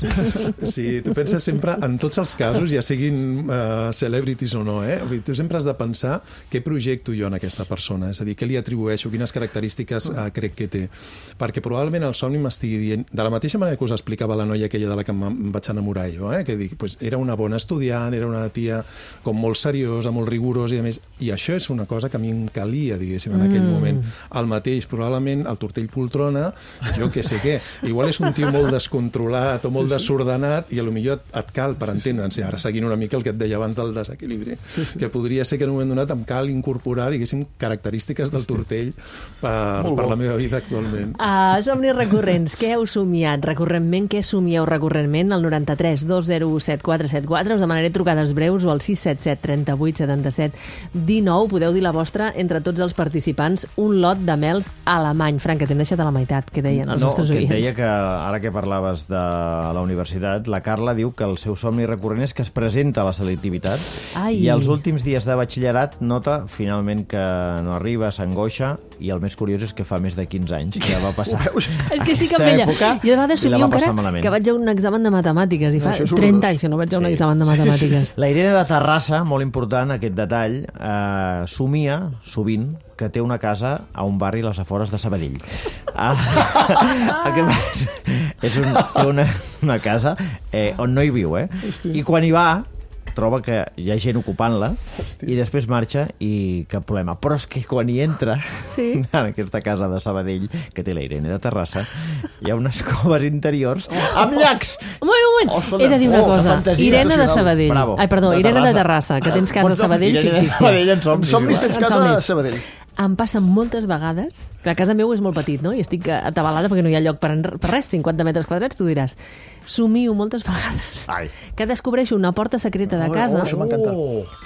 F: que sí, tu penses sempre, en tots els casos, ja siguin uh, celebrities o no, eh? Vull dir, tu sempre has de pensar què projecto jo en aquesta persona, és a dir, què li atribueixo, quines característiques uh, crec que té. Perquè probablement el somni m'estigui dient, de la mateixa manera que us explicava la noia aquella de la que em, em vaig enamorar jo, eh? Que dic, pues, era una bona estudiant, era una tia com molt seriosa, molt rigorosa, i a més, i això és una cosa que a mi em calia, diguéssim, en aquell
A: Mm.
F: moment. El mateix, probablement, el Tortell Poltrona, jo què sé què, igual és un tio molt descontrolat o molt desordenat i a lo millor et, et cal, per entendre'ns, ara seguint una mica el que et deia abans del desequilibri, que podria ser que en un moment donat em cal incorporar, diguéssim, característiques del Tortell per, per la meva vida actualment.
A: Uh, somnis recurrents, què heu somiat recurrentment? Què somieu recurrentment? Al noranta-tres dos zero u set quatre set quatre us demanaré trucades breus o al sis set set trenta-vuit setanta-set dinou. Podeu dir la vostra entre tots els participants. Un lot de mels alemany. Frank, que t'hem deixat a la meitat, que deien els
C: no,
A: nostres
C: que et
A: oients.
C: deia que ara que parlaves de la universitat, la Carla diu que el seu somni recurrent és que es presenta a la selectivitat.
A: Ai.
C: I els últims dies de batxillerat nota finalment que no arriba, s'angoixa, i el més curiós és que fa més de quinze anys que va passar
A: És que estic
C: aquesta
A: amb ella.
C: època
A: Jo de vegades
C: i la
A: somio
C: va passar
A: encara
C: malament.
A: que vaig a un examen de matemàtiques i fa
D: No, això és
A: trenta
D: horrorós.
A: anys que no vaig a un
C: Sí.
A: examen de matemàtiques.
C: La Irene de Terrassa, molt important aquest detall, eh, somia sovint que té una casa a un barri a les afores de Sabadell. Ah, el que passa és un, té una, una casa eh, on no hi viu, eh? I quan hi va troba que hi ha gent ocupant-la i després marxa i cap problema. Però és que quan hi entra
A: Sí.
C: en aquesta casa de Sabadell que té la Irene de Terrassa hi ha unes coves interiors amb llacs!
A: Bueno, moment.
C: Oh, escolta,
A: He de dir una
C: oh,
A: cosa.
C: fantasia
A: Irene de
C: sensacional.
A: Sabadell.
C: Bravo.
A: Ai, perdó,
C: De
A: Irene de
C: Terrassa.
A: Terrassa, que tens casa a
C: Pots-
A: Sabadell
C: Irene de
A: fictícia.
C: Sabadell en
D: En
C: somnis.
D: somnis
C: igual.
D: tens
A: En
D: casa a
A: somnis.
D: Sabadell.
A: Em passa moltes vegades, que a casa meu és molt petit, no? I estic atabalada perquè no hi ha lloc per, en- per res, cinquanta metres quadrats, tu diràs. Somio moltes vegades
C: Ai.
A: que descobreixo una porta secreta de
D: Oh,
A: casa,
D: oh, això m'encanta.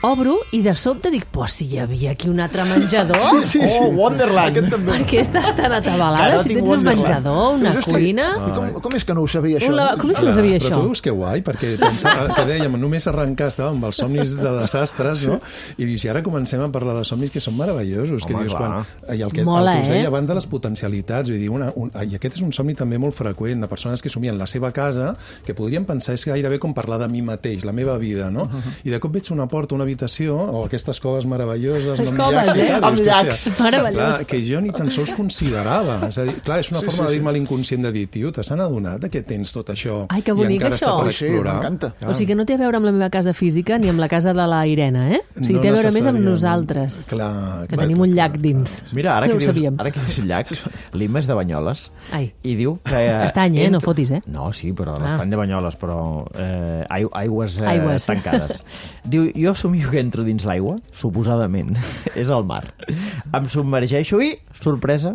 A: obro i de sobte dic, pues si hi havia aquí un altre menjador,
D: Sí, sí.
C: Oh, Wonderland.
D: Aquest també.
A: per què estàs tan atabalada?
C: Carot
A: Si
C: i
A: tens un
C: Wonderland.
A: menjador, una
D: Dius, "Hosti,
A: cuina...
D: i Com, com és que no ho sabia, això?
A: Un lava... Com és que no sabia
F: Però
A: això?
F: tu veus que guai, perquè pensava, que dèiem, només arrencar estàvem amb els somnis de desastres, no? I dius, i ara comencem a parlar de somnis que són meravellosos, que
C: Home,
F: dius,
C: clar.
F: quan, i el que,
A: Mola,
F: el que us deia
A: eh?
F: abans de les potencialitats, vull dir, una, un, i aquest és un somni també molt freqüent, de persones que somien la seva casa, que podrien pensar, és gairebé com parlar de mi mateix, la meva vida, no? I de cop veig una porta, una habitació, o aquestes coves meravelloses,
A: Les
F: amb
A: coves,
F: llacs, i
A: eh?
F: tal,
C: Amb
F: dius,
C: llacs.
F: hòstia,
A: Meravellós.
F: clar, que jo ni tan sols considerava. És a dir, clar, és una
D: Sí,
F: forma
D: sí,
F: de
D: sí.
F: dir-me a l'inconscient de dir, tio, t'has adonat de que tens tot això
A: Ai, que
F: i
A: bonic,
F: encara
A: això.
F: està per
D: Sí, sí,
F: explorar?
D: m'encanta.
F: Clar.
A: O sigui que no té a veure amb la meva casa física ni amb la casa de la Irene, eh? O sigui,
F: No
A: té a veure més amb
F: necessàriament.
A: nosaltres,
F: Clar,
A: que
F: clar,
A: tenim un
F: clar,
A: llac
F: clar.
A: dins.
C: Mira, ara
A: no
C: que,
A: ho
C: dius,
A: sabíem.
C: ara que dius llacs, l'Imma és de Banyoles
A: Ai.
C: i diu que... Eh,
A: Estany, eh? No fotis, eh?
C: No, sí, però
A: Ah.
C: l'estany de Banyoles, però eh, ai- aigües, eh,
A: Aigües.
C: tancades. Diu, jo somio que entro dins l'aigua, suposadament, és el mar. Em submergeixo i, sorpresa,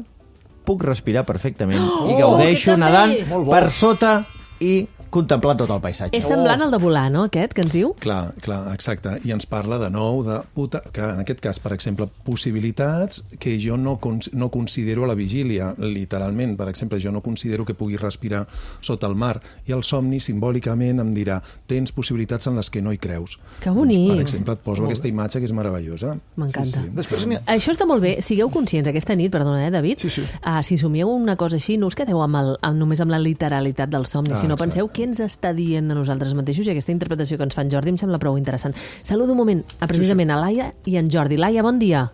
C: puc respirar perfectament
A: Oh,
C: i gaudeixo
A: que també!
C: nedant
D: Molt bo.
C: per sota i contemplant tot el paisatge.
A: És semblant al de volar, no, aquest, que ens diu?
F: Clar, clar, exacte. I ens parla de nou de puta, que en aquest cas, per exemple, possibilitats que jo no, cons no considero a la vigília, literalment. Per exemple, jo no considero que pugui respirar sota el mar. I el somni, simbòlicament, em dirà tens possibilitats en les que no hi creus.
A: Que bonic.
F: Doncs, per exemple, et poso aquesta imatge que és meravellosa.
A: M'encanta.
F: Sí, sí.
D: Després n'hi ha...
A: Això està molt bé. Sigueu conscients aquesta nit, perdona, eh, David?
D: Sí, sí.
A: Uh, si somieu una cosa així, no us quedeu amb el, amb, només amb la literalitat del somni,
F: Ah,
A: sinó
F: exacte.
A: penseu què ens està dient de nosaltres mateixos, i aquesta interpretació que ens fa en Jordi em sembla prou interessant. Saludo un moment a, precisament a Laia i en Jordi. Laia, bon dia.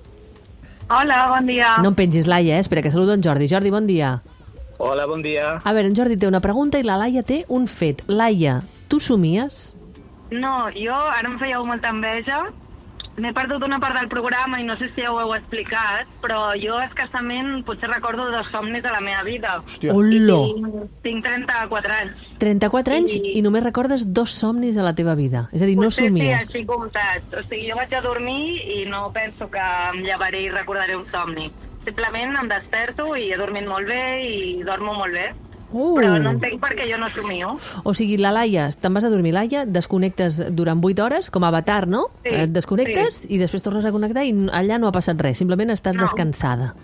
H: Hola, bon dia.
A: No em pengis, Laia, eh? Espera, que saludo en Jordi. Jordi, bon dia.
K: Hola, bon dia.
A: A veure, en Jordi té una pregunta i la Laia té un fet. Laia, tu somies?
H: No, jo ara em fèieu molta enveja. M'he perdut una part del programa i no sé si ja ho heu explicat, però jo escassament potser recordo dos somnis de la meva vida.
D: Hòstia.
A: Olo!
H: Tinc, tinc trenta-quatre anys.
A: trenta-quatre anys
H: I-
A: i només recordes dos somnis a la teva vida. És a dir, no
H: Potser
A: somies.
H: sí, així comptats. O sigui, jo vaig a dormir i no penso que em llevaré i recordaré un somni. Simplement em desperto i he dormit molt bé i dormo molt bé.
A: Uh.
H: Però no entenc per què jo no somio.
A: O sigui, la Laia, te'n vas a dormir, Laia, desconnectes durant vuit hores, com a Avatar, no?
H: Sí,
A: Et desconnectes i després tornes a connectar i allà no ha passat res, simplement estàs
H: No.
A: descansada.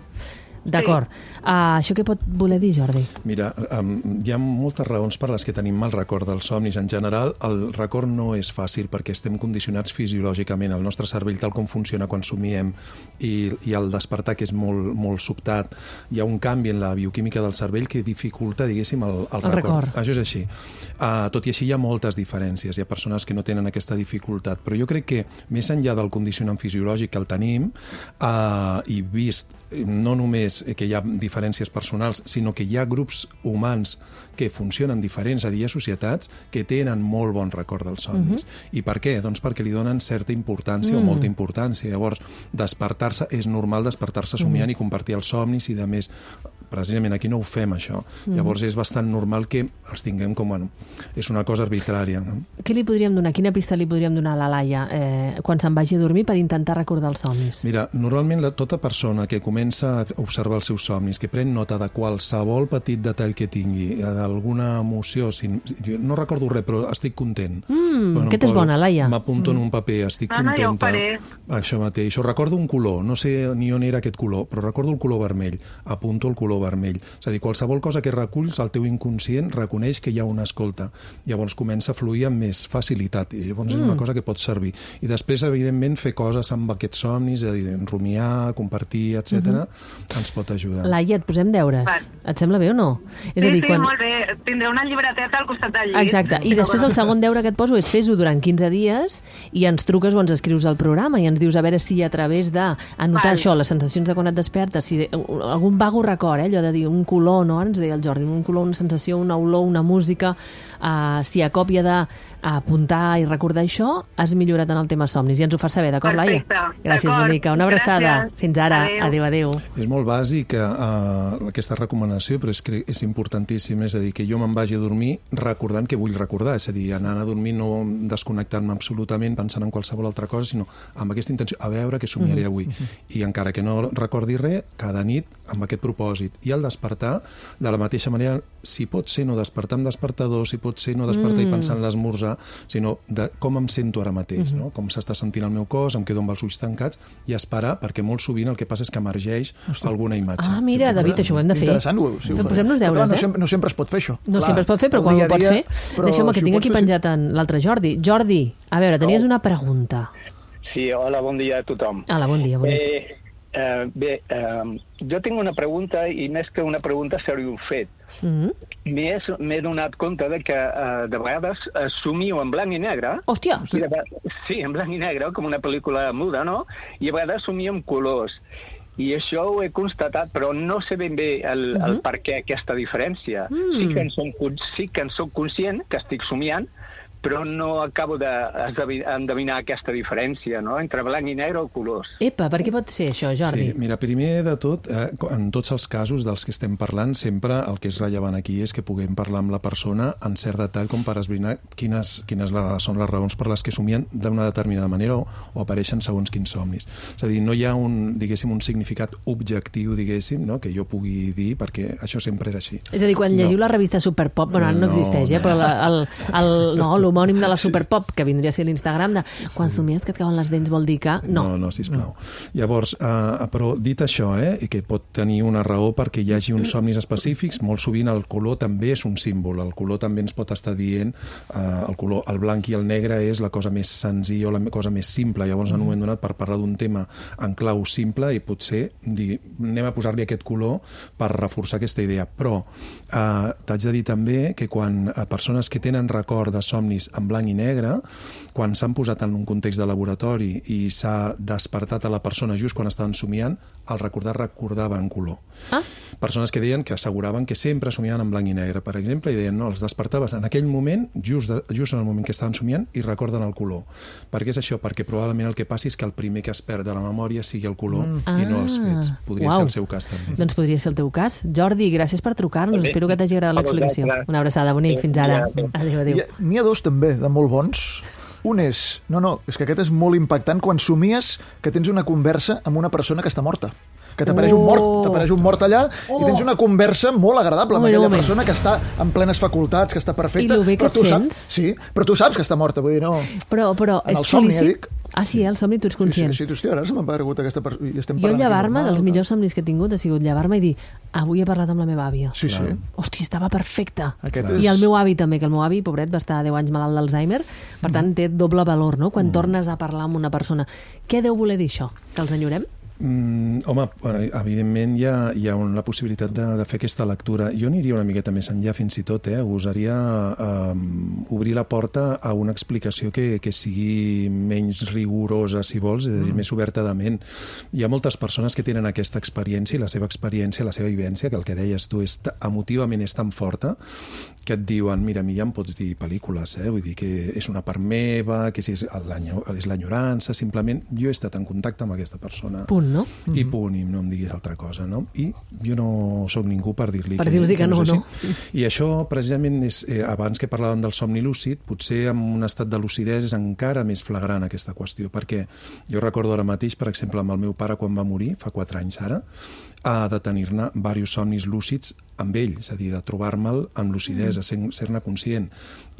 A: D'acord. Uh, això què pot voler dir, Jordi?
F: Mira, um, hi ha moltes raons per les que tenim mal record dels somnis. En general, el record no és fàcil perquè estem condicionats fisiològicament. El nostre cervell, tal com funciona quan somiem i, i el despertar, que és molt, molt sobtat, hi ha un canvi en la bioquímica del cervell que dificulta, diguéssim, el, el,
A: El record.
F: Això és així. Uh, tot i així hi ha moltes diferències. Hi ha persones que no tenen aquesta dificultat. Però jo crec que, més enllà del condicionant fisiològic que el tenim, uh, i vist no només que hi ha diferències personals, sinó que hi ha grups humans que funcionen diferents, a dir, hi ha societats que tenen molt bon record dels somnis. Uh-huh. I per què? Doncs perquè li donen certa importància mm. o molta importància. Llavors, despertar-se, és normal despertar-se somiant mm. i compartir els somnis i de més. Precisament aquí no ho fem, això. Mm. Llavors és bastant normal que els tinguem com, bueno, és una cosa arbitrària. No?
A: Què li podríem donar? Quina pista li podríem donar a la Laia eh, quan se'n vagi a dormir per intentar recordar els somnis?
F: Mira, normalment la, tota persona que comença a observar els seus somnis, que pren nota de qualsevol petit detall que tingui, d'alguna emoció, si, jo no recordo res, però estic content.
A: Mm,
F: Bueno,
A: aquesta és
F: poso-
A: bona, Laia.
F: M'apunto en un paper, estic
H: Ah, no, ja ho
F: contenta.
H: faré.
F: Això mateix. O recordo un color, no sé ni on era aquest color, però recordo el color vermell. Apunto el color vermell. És a dir, qualsevol cosa que reculls, el teu inconscient reconeix que hi ha una escolta. Llavors comença a fluir amb més facilitat. I llavors mm. és una cosa que pot servir. I després, evidentment, fer coses amb aquests somnis, és a dir, rumiar, compartir, etcètera, mm-hmm. ens pot ajudar.
A: Laia, et posem deures.
H: Va.
A: Et sembla bé o no? És
H: Sí,
A: a dir,
H: sí,
A: quan...
H: molt bé. Tindré una llibreteta al costat del llit.
A: Exacte, i després el segon deure que et poso és fes-ho durant quinze dies i ens truques o ens escrius al programa i ens dius a veure si a través d'anotar
H: Val.
A: això, les sensacions de quan et despertes, si algun vago record, eh, allò de dir un color, no? Ara ens deia el Jordi, un color, una sensació, una olor, una música, uh, si a còpia de apuntar i recordar això, has millorat en el tema somnis. I ens ho fas saber, d'acord, Laia?
H: Perfecte.
A: Gràcies, Monica. Una abraçada.
H: Gràcies.
A: Fins ara.
H: Adéu.
A: Adéu, adéu.
F: És molt bàsic uh, aquesta recomanació, però és que és importantíssim, és a dir, que jo me'n vagi a dormir recordant que vull recordar, és a dir, anant a dormir no desconnectant-me absolutament pensant en qualsevol altra cosa, sinó amb aquesta intenció, a veure què somiaré avui. I encara que no recordi res, cada nit amb aquest propòsit. I al despertar, de la mateixa manera, si pot ser no despertar amb despertador, si pot ser no despertar mm. i pensar en l'esmorzar, sinó de com em sento ara mateix, mm-hmm. no? Com s'està sentint el meu cos, em quedo amb els ulls tancats i esperar, perquè molt sovint el que passa és que emergeix Hosti. alguna imatge.
A: Ah, mira, David, això ho hem de fer.
D: Interessant, ho, sí, ho
A: Posem-nos deures,
D: clar, no,
A: eh?
D: sempre, no sempre es pot fer això.
A: No
D: clar,
A: sempre es pot fer, però quan ho pots
D: dia,
A: fer... Deixa'm que
D: si
A: tinc aquí
D: fer,
A: penjat en l'altre Jordi. Jordi, a veure, tenies una pregunta.
K: Sí, hola, bon dia a tothom.
A: Hola, bon dia, bonic.
K: Eh, eh, bé, eh, jo tinc una pregunta, i més que una pregunta seria un fet.
A: Mm-hmm.
K: M'he donat compte de que eh, de vegades eh, somio en blanc i negre.
A: Hòstia!
K: I de, sí, en blanc i negre, com una pel·lícula muda, no? I a vegades somio en colors. I això ho he constatat, però no sé ben bé el, uh-huh. el per què aquesta diferència. Mm. Sí que en som, sí que en soc conscient que estic somiant, però no acabo d'endevinar aquesta diferència, no?, entre blanc i negre o colors.
A: Epa, per què pot ser això, Jordi?
F: Sí, mira, primer de tot, eh, en tots els casos dels que estem parlant, sempre el que és rellevant aquí és que puguem parlar amb la persona en cert detall com per esbrinar quines, quines són les raons per les que somien d'una determinada manera o, o apareixen segons quins somnis. És a dir, no hi ha un, diguéssim, un significat objectiu, diguéssim, no?, que jo pugui dir, perquè això sempre era així.
A: És a dir, quan
F: no.
A: llegiu la revista Superpop, bueno, no, no existeix, eh, però la, el, el, no, l'homònim de la Superpop, que vindria a ser l'Instagram de quan somies que et cauen les dents vol dir que... No,
F: no, no sisplau. No. Llavors, uh, però dit això, eh, i que pot tenir una raó perquè hi hagi uns somnis específics, molt sovint el color també és un símbol, el color també ens pot estar dient, uh, el color, el blanc i el negre és la cosa més senzilla o la cosa més simple, llavors en un moment donat per parlar d'un tema en clau simple i potser dir, anem a posar-li aquest color per reforçar aquesta idea, però uh, t'haig de dir també que quan uh, persones que tenen record de somnis en blanc i negre, quan s'han posat en un context de laboratori i s'ha despertat a la persona just quan estaven somiant, al recordar recordava en color. Ah. Persones que deien que asseguraven que sempre somiaven en blanc i negre, per exemple, i deien, no, els despertaves en aquell moment, just, de, just en el moment que estaven somiant, i recorden el color. Per què és això? Perquè probablement el que passi és que el primer que es perd de la memòria sigui el color mm. i no els fets. Podria
A: Uau.
F: ser el seu cas també.
A: Doncs podria ser el teu cas. Jordi, gràcies per trucar-nos. Espero que t'hagi agradat l'explicació. Una abraçada, bonic. Fins ara. Adéu, adéu.
D: N'hi ha dos també, de molt bons. Un és, no, no, és que aquest és molt impactant quan somies que tens una conversa amb una persona que està morta. Que t'apareix oh. un mort, t'apareix un mort allà oh. i tens una conversa molt agradable amb oh, aquella persona que està en plenes facultats, que està perfecta.
A: I el bé que et sents?
D: Saps, sí, però tu saps que està morta, vull dir, no...
A: Però, però
D: en
A: és
D: el somni,
A: lícit?
D: dic.
A: Ah, sí, el somni tu ets conscient.
D: Sí, sí, sí, hòstia, ara se m'ha aparegut aquesta persona.
A: Jo llevar-me, dels millors somnis que he tingut, ha sigut llevar-me i dir, avui he parlat amb la meva àvia.
D: Sí, sí.
A: Hòstia, estava perfecta.
D: Aquest
A: I
D: és...
A: el meu avi també, que el meu avi, pobret, va estar deu anys malalt d'Alzheimer, per tant, té doble valor, no?, quan mm. tornes a parlar amb una persona. Què deu voler dir això? Que els enyorem?
F: Mm, home, evidentment hi ha, hi ha la possibilitat de, de fer aquesta lectura. Jo aniria una miqueta més enllà fins i tot, eh? Gosaria um, obrir la porta a una explicació que, que sigui menys rigorosa, si vols, és a dir, mm. més oberta de ment. Hi ha moltes persones que tenen aquesta experiència i la seva experiència, la seva vivència, que el que deies tu és, emotivament és tan forta que et diuen, mira, a mi ja em pots dir pel·lícules, eh? Vull dir que és una part meva, que si és l'enyorança, simplement jo he estat en contacte amb aquesta persona.
A: Punt, no?
F: I punt, i no em diguis altra cosa, no? I jo no sóc ningú per dir-li
A: per dir-li que, que no, no.
F: I això, precisament, és, eh, abans que parlàvem del somni lúcid, potser en un estat de lucidesa és encara més flagrant aquesta qüestió, perquè jo recordo ara mateix, per exemple, amb el meu pare quan va morir, fa quatre anys ara, ha de tenir-ne diversos somnis lúcids amb ell, és a dir, de trobar-me'l amb lucidesa, mm. ser-ne conscient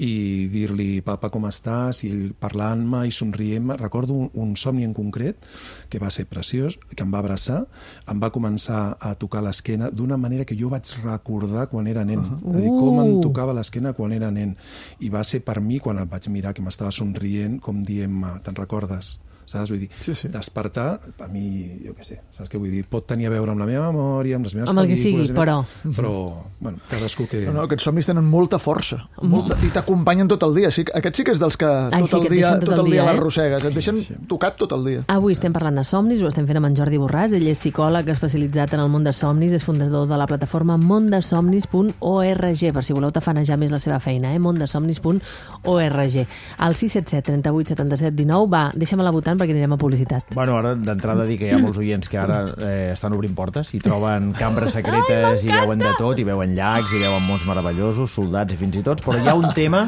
F: i dir-li, papa, com estàs? I ell parlant-me i somrient-me. Recordo un, un somni en concret que va ser preciós, que em va abraçar, em va començar a tocar l'esquena d'una manera que jo vaig recordar quan era nen, uh-huh. és a dir, com em tocava l'esquena quan era nen. I va ser per mi, quan el vaig mirar, que m'estava somrient, com dient-me, te'n recordes? saps? Vull dir,
D: Sí, sí.
F: despertar, a mi, jo què sé, saps què vull dir? Pot tenir a veure amb la meva memòria, amb les meves
A: Amb el que
F: pel·lícules...
A: sigui,
F: i més,
A: però-
F: Però, bueno, cadascú que...
D: No, no, aquests somnis tenen molta força, molta, i t'acompanyen tot el dia. Sí, aquest sí que és dels que
A: Ai,
D: tot
A: sí,
D: el
A: que et
D: dia,
A: deixen tot
D: tot
A: el
D: el dia
A: dia, eh?
D: l'arrossegues, et deixen tocat tot el dia.
A: Avui estem parlant de somnis, ho estem fent amb en Jordi Borràs. Ell és psicòleg especialitzat en el món de somnis, és fundador de la plataforma mondesomnis punt org, per si voleu tafanejar més la seva feina, eh? mondesomnis punt org. Al sis set set, trenta-vuit, setanta-set, dinou, va, deixa'm-la votant perquè anirem a publicitat.
C: Bueno, ara d'entrada dir que hi ha molts oients que ara eh, estan obrint portes i troben cambres secretes i veuen de tot, i veuen llacs, i veuen mons meravellosos, soldats i fins i tots, però hi ha un tema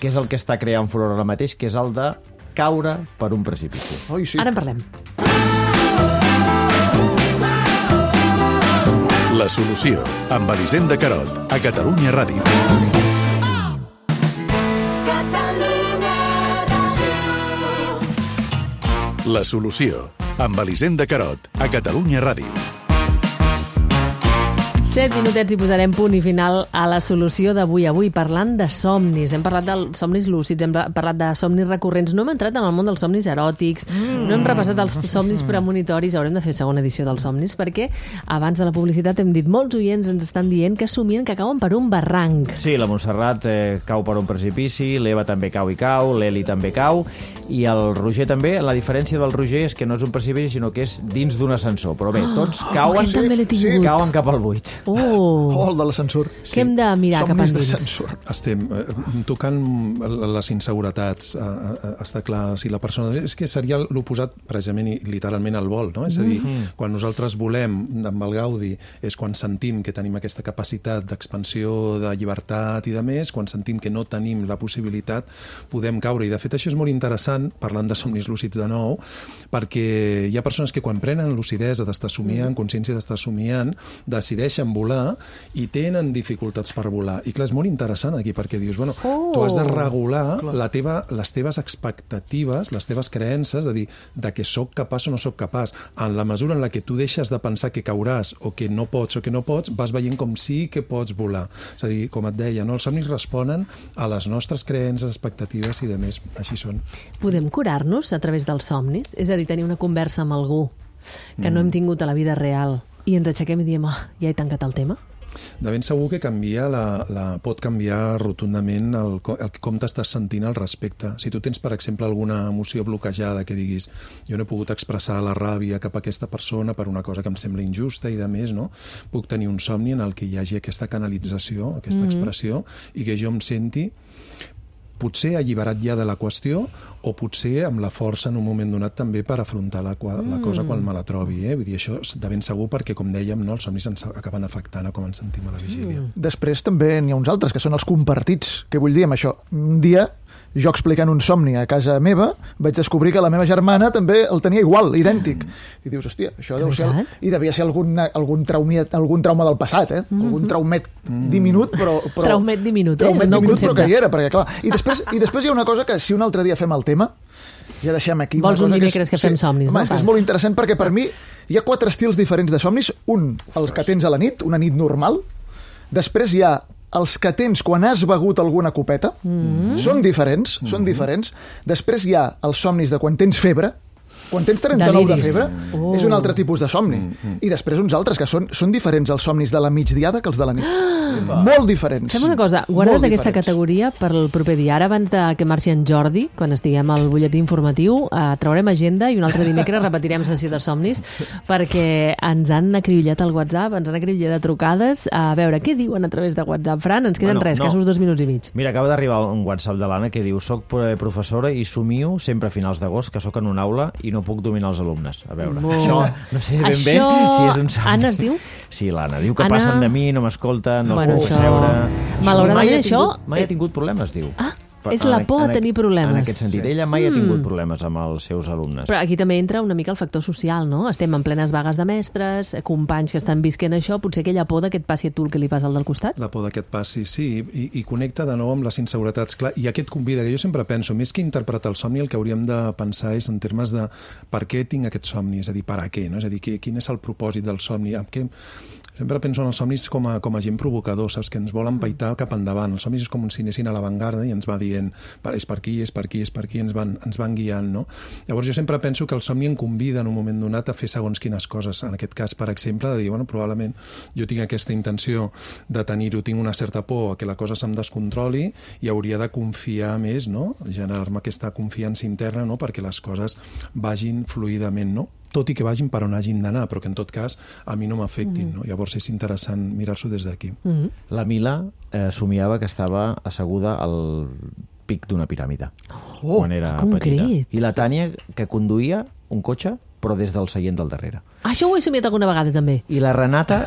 C: que és el que està creant furor ara mateix, que és el de caure per un precipici.
D: Oi, sí.
A: Ara en parlem.
G: La solució, amb Elisenda Carot, a Catalunya Ràdio. La solució, amb Elisenda Carot, a Catalunya Ràdio.
A: Set minutets i posarem punt i final a la solució d'avui. Avui parlant de somnis. Hem parlat de somnis lúcids, hem parlat de somnis recurrents. No hem entrat en el món dels somnis eròtics, mm. no hem repassat els somnis premonitoris. Haurem de fer segona edició dels somnis perquè abans de la publicitat hem dit molts oients ens estan dient que somien que cauen per un barranc.
C: Sí, la Montserrat eh, cau per un precipici, l'Eva també cau i cau, l'Eli també cau, i el Roger també. La diferència del Roger és que no és un precipici, sinó que és dins d'un ascensor. Però bé, tots cauen,
A: aquest també l'he tingut.
C: cauen cap al buit.
A: Oh,
D: Oh, el de l'ascensor.
A: què hem de mirar cap
D: Somnis
A: endins?
D: d'ascensor.
F: Estem eh, tocant les inseguretats, eh, eh, està clar, si la persona... És que seria l'oposat, precisament i literalment, al vol, no? És a dir, mm-hmm. quan nosaltres volem, amb el Gaudi, és quan sentim que tenim aquesta capacitat d'expansió, de llibertat i de més, quan sentim que no tenim la possibilitat, podem caure. I, de fet, això és molt interessant, parlant de somnis lúcids de nou, perquè hi ha persones que quan prenen lucidesa d'estar somiant, consciència d'estar somiant, decideixen volar i tenen dificultats per volar. I clar, és molt interessant aquí perquè dius, bueno,
A: Oh!
F: tu has de regular la teva, les teves expectatives, les teves creences, de dir, de que sóc capaç o no sóc capaç. En la mesura en la que tu deixes de pensar que cauràs o que no pots o que no pots, vas veient com sí que pots volar. És a dir, com et deia, no? Els somnis responen a les nostres creences, expectatives i de més. Així són.
A: Podem curar-nos a través dels somnis? És a dir, tenir una conversa amb algú que no hem tingut a la vida real i ens aixequem i diem, ah, ja he tancat el tema?
F: De ben segur que canvia la, la, pot canviar rotundament el, el, com t'estàs sentint al respecte. Si tu tens, per exemple, alguna emoció bloquejada que diguis jo no he pogut expressar la ràbia cap a aquesta persona per una cosa que em sembla injusta i de més, no? Puc tenir un somni en el que hi hagi aquesta canalització, aquesta mm-hmm. expressió, i que jo em senti potser alliberat ja de la qüestió o potser amb la força en un moment donat també per afrontar la, la cosa quan me la trobi. Eh? Vull dir, això és de ben segur perquè, com dèiem, no, els somnis ens acaben afectant a com ens sentim a la vigília. Mm.
D: Després també n'hi ha uns altres, que són els compartits. Què vull dir amb això? Un dia, jo explicant un somni a casa meva, vaig descobrir que la meva germana també el tenia igual, idèntic. I dius, hòstia, això deu ser... El... I devia ser algun, algun, traumiat, algun trauma del passat, eh? Mm-hmm. Algun traumet mm. diminut, però... però...
A: Traumet diminut, eh?
D: Traumet
A: No
D: diminut,
A: concepte.
D: però que hi era, perquè clar... I després, I després hi ha una cosa que, si un altre dia fem el tema, ja deixem aquí...
A: Vols
D: una
A: un
D: cosa
A: dimecres que, és, que fem
D: sí,
A: somnis,
D: home,
A: no?
D: és, que és molt interessant perquè per mi hi ha quatre estils diferents de somnis. Un, els que tens a la nit, una nit normal. Després hi ha els que tens quan has begut alguna copeta. Mm. Són diferents, mm. són diferents. Després hi ha els somnis de quan tens febre. Quan tens trenta-nou de
A: Deliris.
D: febre,
A: Oh.
D: és un altre tipus de somni. Mm, mm. I després uns altres, que són, són diferents els somnis de la migdiada que els de la nit. Ah. Molt diferents.
A: Fem una cosa, guarda't
D: Molt
A: aquesta
D: diferents.
A: categoria per el proper dia. Ara, abans de que marxi en Jordi, quan estiguem al butlletí informatiu, eh, traurem agenda i un altre dimecres repetirem sessió de somnis perquè ens han acribillat al WhatsApp, ens han acribillat de trucades. A veure, què diuen a través de WhatsApp, Fran? Ens queden
C: Bueno,
A: res,
C: no.
A: casos dos minuts i mig.
C: Mira, acaba d'arribar un WhatsApp de l'Anna que diu soc professora i somio sempre a finals d'agost que sóc en una aula i no puc dominar els alumnes. A veure,
A: Bo.
C: això no sé ben
A: Això...
C: bé si és un somni.
A: Anna es diu?
C: Sí, l'Anna. Diu que
A: Anna...
C: passen de mi, no m'escolten, no
A: Bueno,
C: els puc
A: això-
C: seure...
A: Malauradament,
C: mai ha
A: això-
C: tingut, Mai ha tingut problemes, diu.
A: Ah,
C: Per-
A: és la
C: en-
A: por a
C: en-
A: tenir problemes.
C: En aquest sentit.
A: Sí.
C: Ella mai ha tingut
A: Mm.
C: problemes amb els seus alumnes.
A: Però aquí també entra una mica el factor social, no? Estem en plenes vagues de mestres, companys que estan visquent això, potser aquella por de que et passi a tu el que li passa al del costat?
F: La por que et passi, sí, i, i connecta de nou amb les inseguretats. Clar, i aquest convida, que jo sempre penso, més que interpretar el somni, el que hauríem de pensar és en termes de per què tinc aquest somni, és a dir, per a què, no? És a dir, quin és el propòsit del somni, amb què... Sempre penso en els somnis com a, com a gent provocador, saps? Que ens volen paitar cap endavant. Els somnis és com si anessin a l'avantguarda i ens va dient és per aquí, és per aquí, és per aquí, ens van, ens van guiant, no? Llavors jo sempre penso que el somni em convida en un moment donat a fer segons quines coses. En aquest cas, per exemple, de dir, bueno, probablement jo tinc aquesta intenció de tenir-ho, tinc una certa por a que la cosa se'm descontroli i hauria de confiar més, no? Generar-me aquesta confiança interna, no? Perquè les coses vagin fluidament, no? Tot i que vagin per on hagin d'anar, però que en tot cas a mi no m'afectin. Mm. No? Llavors és interessant mirar-s'ho des d'aquí.
A: Mm.
C: La Mila eh, somiava que estava asseguda al pic d'una piràmide
A: oh,
C: quan era petita. I la Tània que conduïa un cotxe però des del seient del darrere.
A: Ah, això ho he somiat alguna vegada també.
C: I la Renata,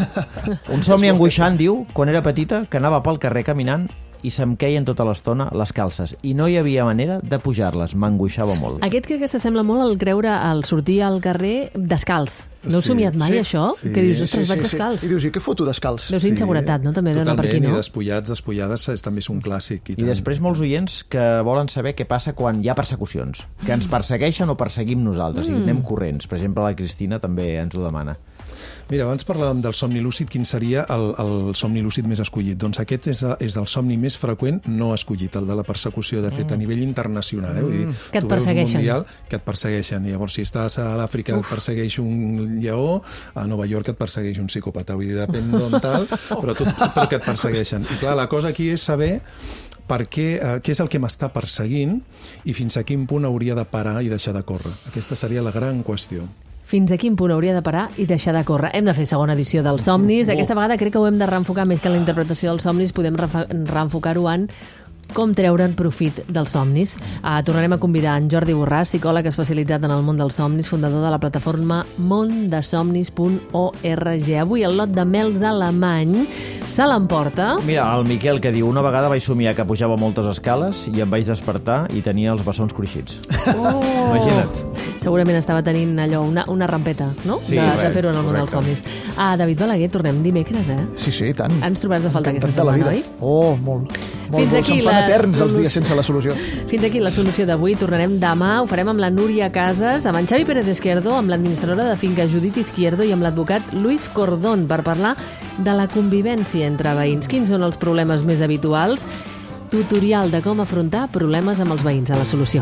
C: un somni angoixant, diu, quan era petita, que anava pel carrer caminant i se'm queien tota l'estona les calces i no hi havia manera de pujar-les, m'angoixava molt.
A: Aquest crec que s'assembla molt al creure, al sortir al carrer descalç. No heu
F: Sí.
A: somiat mai,
D: Sí.
A: això?
F: Sí.
A: Que dius, ostres,
D: Sí,
A: vaig
D: sí,
A: descalç.
D: sí. I dius, i què foto descalç?
A: Deu ser inseguretat, no? També d'anar per aquí,
F: Totalment,
A: no?
F: i despullats, despullades és, també és un clàssic. I,
C: I després molts oients que volen saber què passa quan hi ha persecucions, que ens persegueixen o perseguim nosaltres, mm. i anem corrents. Per exemple, la Cristina també ens ho demana.
F: Mira, abans parlàvem del somni lúcid, quin seria el, el somni lúcid més escollit? Doncs aquest és, és el somni més freqüent no escollit, el de la persecució, de fet, a nivell internacional. Eh? Vull dir,
A: Que et
F: tu veus un
A: persegueixen.
F: mundial que et persegueixen. I llavors, si estàs a l'Àfrica et persegueix un lleó, a Nova York et persegueix un psicòpata. Vull dir, depèn d'on tal, però, tot, però que et persegueixen. I clar, la cosa aquí és saber per què, eh, què és el que m'està perseguint i fins a quin punt hauria de parar i deixar de córrer. Aquesta seria la gran qüestió.
A: Fins a quin punt hauria de parar i deixar de córrer. Hem de fer segona edició dels somnis. Aquesta vegada crec que ho hem de reenfocar més que en la interpretació dels somnis. Podem refa- reenfocar-ho en com treure'n profit dels somnis. Uh, tornarem a convidar en Jordi Borràs, psicòleg especialitzat en el món dels somnis, fundador de la plataforma mondesomnis punt org. Avui el lot de mels alemany se l'emporta.
C: Mira, el Miquel que diu, una vegada vaig somiar que pujava moltes escales i em vaig despertar i tenia els bessons cruixits.
A: Oh!
C: Imagina't.
A: Segurament estava tenint allò, una, una rampeta, no?
C: Sí,
A: de,
C: bé,
A: de fer-ho en el món dels
C: correcte.
A: somnis. Ah, David Balaguer, tornem dimecres, eh?
D: Sí, sí, i tant.
A: Ens trobaràs a faltar aquesta
D: Encantat de la
A: setmana,
D: vida.
A: oi?
D: Oh, molt. molt
A: Fins
D: molt.
A: aquí
D: Se'm fan
A: la
D: eterns els
A: solució.
D: dies sense la solució.
A: Fins aquí la solució d'avui. Tornarem demà. Ho farem amb la Núria Casas, amb en Xavi Pérez Izquierdo, amb l'administradora de finca Judit Izquierdo i amb l'advocat Luis Cordón per parlar de la convivència entre veïns. Quins són els problemes més habituals? Tutorial de com afrontar problemes amb els veïns a la solució.